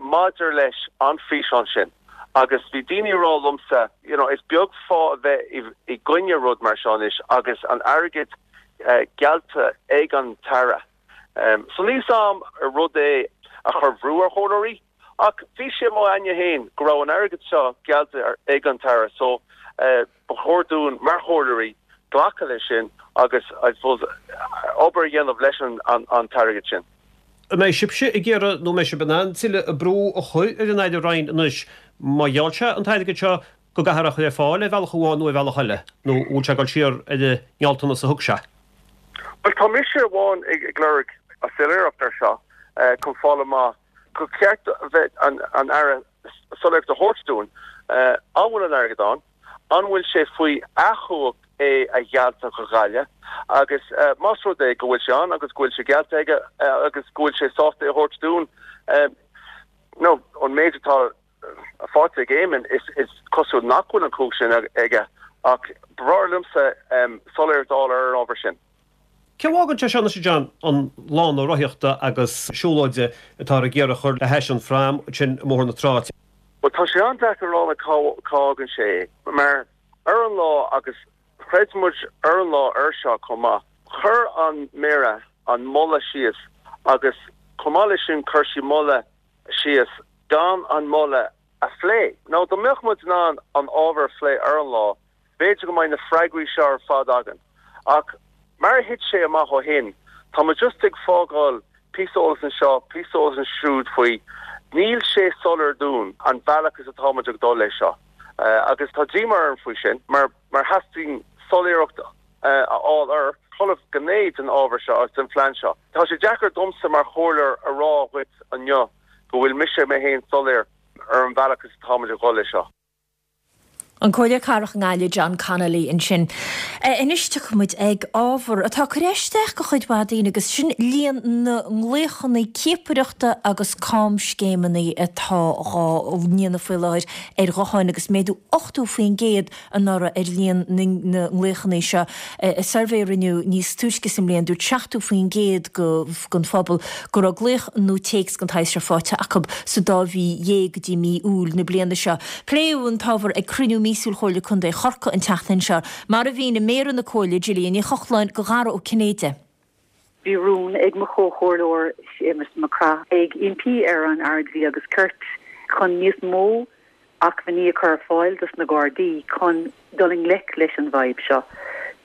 maidir leis an físeán sin agus bhí daoine ag rá liomsa, you know, is beag fáth a bheith i gcoinne rud mar seo anois agus an airgead geallta ag an tAire. So níl 's a'm ar rud é a chuir brú ar chomhairleoirí, ach bhí sé i m'aigne féin go raibh an airgead seo geallta ag an tAire so ba chóir dúinn mar chomhairleoirí glacadh leis sin agus I suppose obair a dhéanamh leis an t-airgead sin. An mbeidh sibhse ag iarraidh nó an mbeidh sibh in ann tuilleadh brú a chur ar an Aire Ryan anois má gheall sé an t-airgead seo go gcaithfear é a chur ar fáil ar bhealach amháin nó ar bhealach eile, nó an bhfuil sé ag dul siar ar an ngealltanas a thug sé? Bhuel, tá mise amháin ag lorg soiléireacht ar seo chun fáil amach gur cheart a bheith an Aire soiléireacht a thabhairt dúinn an bhfuil an airgead ann, an bhfuil sé faoi a chumhacht é a ghealladh do Ghaillimh agus más rud é go bhfuil sé ann agus go bhfuil sé geallta aige agus go bhfuil sé sásta é a thabhairt dúinn nó an méid atá faighte ag Éamon, is cosúil nach bhfuil an chumhacht sin aige ach ba bhreá liomsa soiléireacht a fháil ar an ábhar sin. Cé a bhfágann sé seo anois, a John, an lána rothaíochta agus siúlóide atáthar ag iarraidh a chur le hais an phrám ansin i mBóthar na Trá? Bhuel, tá sé an-deacair a rá cá bhfágann sé é mar ar an lá agus chreid muid ar an lá air seo chomh maith, chuir an Méara an moladh síos agus chomh maith leis sin chuir sí moladh síos gan an moladh a phlé. Nó dá mbeadh muid in ann an ábhar a phlé ar an lá, b'fhéidir go mbeidh na freagraí seo ar fad againn. Ach mar a thit sé amach ó shin, tá muid just ag fágáil píosa eolas anseo, píosa eolas ansiúd faoi. Níl sé soiléir dúinn an bealach is atá muid ag dul leis seo. Agus tá díomá orm faoi sin, mar mar theastaíonn soiléireacht a fháil ar chuile ghné den ábhar seo agus den phlean seo. Tá sé deacair domsa mar chomhairleoir a rá dhuit inniu go bhfuil mise mé féin soiléir ar an bhealach is atáimid ag dhul leis seo. An Comhairleoir Cathrach i nGaillimh, John Connolly ansin. Anois tiocfaidh muid ag ábhar atá ag cur isteach go chuid mhaith daoine agus sin líon na nglaochanna ciapaireachta agus camscéimeanna atá dhá ndéanamh faoi láthair ar ghutháin agus méadú 80% anuraidh ar líon na nglaochanna seo. I suirbhé a rinneadh níos túisce sa mbliain, dúirt 70% den phobal go raibh glaoch nó téacs den tsaghas seo faighte acu sa dá mhí dhéag go dtí mí Iúil na bliana seo. Pléadh an t-ábhar ag cruinniú míosúil Chomhairle Contae Chorcaí an tseachtain seo, mar a mhínigh Méara na Comhairle, Gillian Ní Chochláin, do Dhara Ó Cinnéide. Bhí rún ag mo chomhchomhairleoir Séamus Mac Craith ag impí ar an Aire Dlí agus Cirt chun níos mó acmhainní a chur ar fáil dos na Gardaí chun dul i ngleic leis an bhfadhb seo.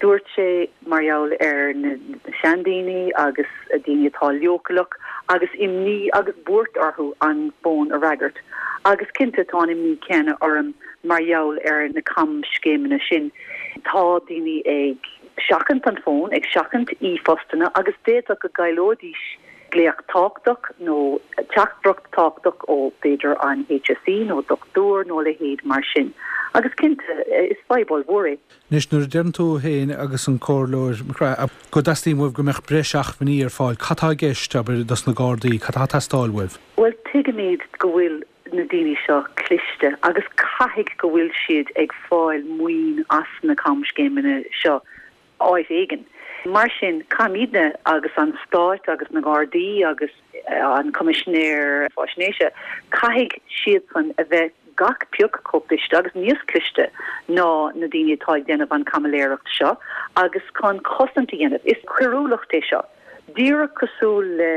Dúirt sé mar gheall ar na seandaoine agus daoine atá leochaileach agus imní agus buairt orthu an fón a fhreagairt. Agus cinnte tá an imní céanna orm mar gheall ar na camscéimeanna sin. Tá daoine ag seachaint an fón, ag seachaint e-phostanna agus d'fhéadfadh go gcailleoidís glaoch tábhachtach nó teachtaireacht tábhachtach ó b'fhéidir an HSE nó dochtúir nó a leithéid mar sin. Agus cinnte, is fadhb ollmhór é. Anois, nuair a deireann tú féin agus an Comhairleoir Mac Craith go dteastaíonn uaibh go mbeadh breis acmhainní ar fáil, cad tá i gceist, abair, dos na Gardaí, cad tá ag teastáil uaibh? Bhuel, tuigimid go bhfuil na daoine seo cliste agus caithfidh go bhfuil siad ag fáil maoin as na camscéimeanna seo. áit éigin. Mar sin, caithfimidne agus an Stát agus na Gardaí agus an Coimisinéir Faisnéise, caithfidh siadsan a bheith gach pioc chomh cliste agus níos cliste ná na daoine atá ag déanamh an chaimiléireacht seo agus chun cosaint a dhéanamh. Is coiriúlacht é seo. Díreach cosúil le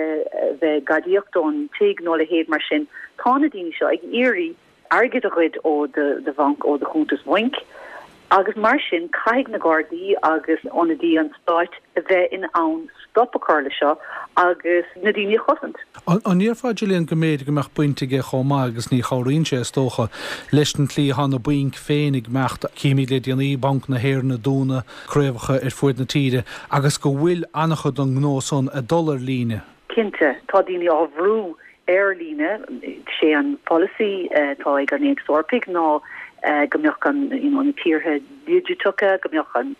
bheith ag gadaíocht ón tigh nó a leithéid mar sin, tá na daoine seo ag iarraidh airgead a ghoid ó do bhanc, ó do chuntas bhainc, agus mar sin caithfidh na Gardaí agus ionadaí an stáit a bheith in ann stop a chur le seo agus na daoine a chosaint. An ndéarfá, Gillian, go mb'fhéidir go mbeadh baint aige chomh maith, agus ní chabhraíonn sé, is dócha, leis an tslí atá na bainc féin ag imeacht, címid le déanaí Banc na hÉireann ag dúnadh craobhacha ar fuaid na tíre, agus go bhfuil an-chuid den ngnó san ag dul ar líne. Cinnte, tá daoine á bhrú ar líne. Sé an polasaí atá ag an Aontas Eorpaigh ná go mbeadh an, you know, na tíortha digiteacha, go mbeadh an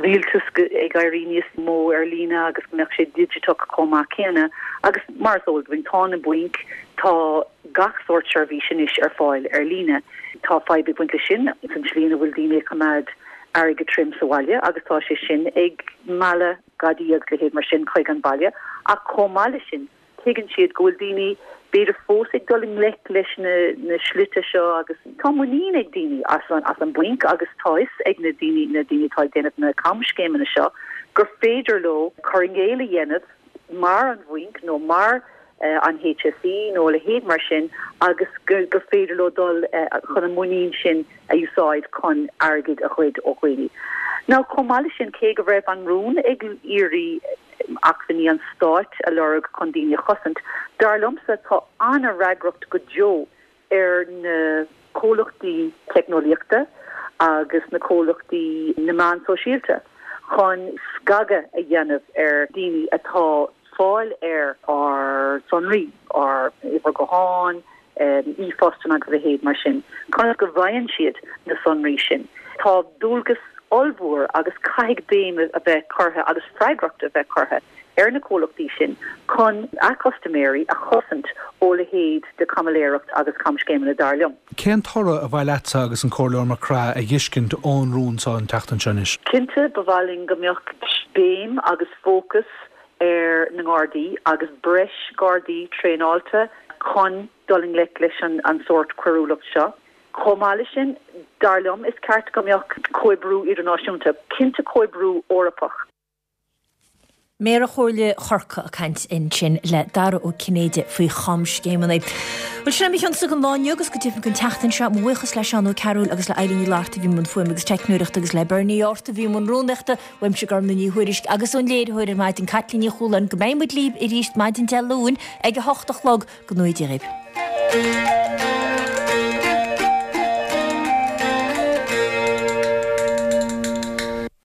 rialtas ag éirí níos mó ar líne agus go mbeadh sé digiteach chomh maith céanna. Agus mar is eol dúinn, tá na bainc, tá gach sórt seirbhís anois ar fáil ar líne. Tá fadhb ag baint leis sin, san tslí ina bhfuil daoine ag coimeád airgead tirim sa bhaile agus tá sé sin ag mealladh gadaí agus leithéid mar sin chuig an baile. Ach chomh maith leis sin, tuigeann siad go bhfuil daoine b'fhéidir fós ag dul i ngleic leis na slite seo agus tá muinín ag daoine as an as an bhainc agus tá fhios ag na daoine na daoine atá ag déanamh na camscéimeanna seo gur féidir leo cur i gcéill a dhéanamh mar an bhainc nó mar an HSE nó a leithéid mar sin agus gur gur féidir leo dul chun an muinín sin a úsáid chun airgead a ghoid ó dhaoine. Now chomh maith leis sin cé go raibh an rún ag iarraidh acmhainní an stáit a lorg chun daoine a chosaint. Dar liomsa, tá an-fhreagracht go deo ar na comhlachtaí teicneolaíochta agus na comhlachtaí na meán sóisialta chun scagadh a dhéanamh ar daoine atá fáil ar ár sonraí, ár uimhir gutháin, e-phostanna agus a leithéid mar sin. Conas go bhfaigheann siad na sonraí sin? Tá dualgas ollmhór agus caithfidh béim a bheith curtha agus freagracht a bheith curtha ar na comhlachtaí sin chun a gcustaiméirí a chosaint ó leithéid de chaimiléireacht agus camscéimeanna, dar liom. Cén toradh a ba mhaith leatsa agus an Comhairleoir Mac Craith a dh'fheiscint ón rún seo an tseachtain seo anois? Cinnte, ba mhaith linn go mbeadh béim agus fócas ar na nGardaí agus breis Gardaí traenáilte chun dul i ngleic leis an sórt coiriúlacht seo. Chomh maith leis sin, dar liom, is ceart go mbeadh comhoibriú idirnáisiúnta, cinnte comhoibriú Eorpach. Méara Chomhairle Chorcaí ag caint ansin le Dara Ó Cinnéide faoi chamscéimeanna. Bhuel, sin é mo chionsa don lá inniu agus go deimhin don tseachtain seo. Mo bhuíochas le Seán Ó Cearúil agus le Eilín Ní Fhlatharta a bhí i mbun fuaime agus teicneoireachta agus le Bernie Art a bhí i mbun rúnaíochta. Uaimse Gormfhlaith Ní Thuairisg agus ón léiritheoir ar maidin Caitlín Ní Chualáin go mbeidh muid libh arís maidin Dé Luain ag a hocht a chlog. Go ngnóthaí Dia dhaoibh.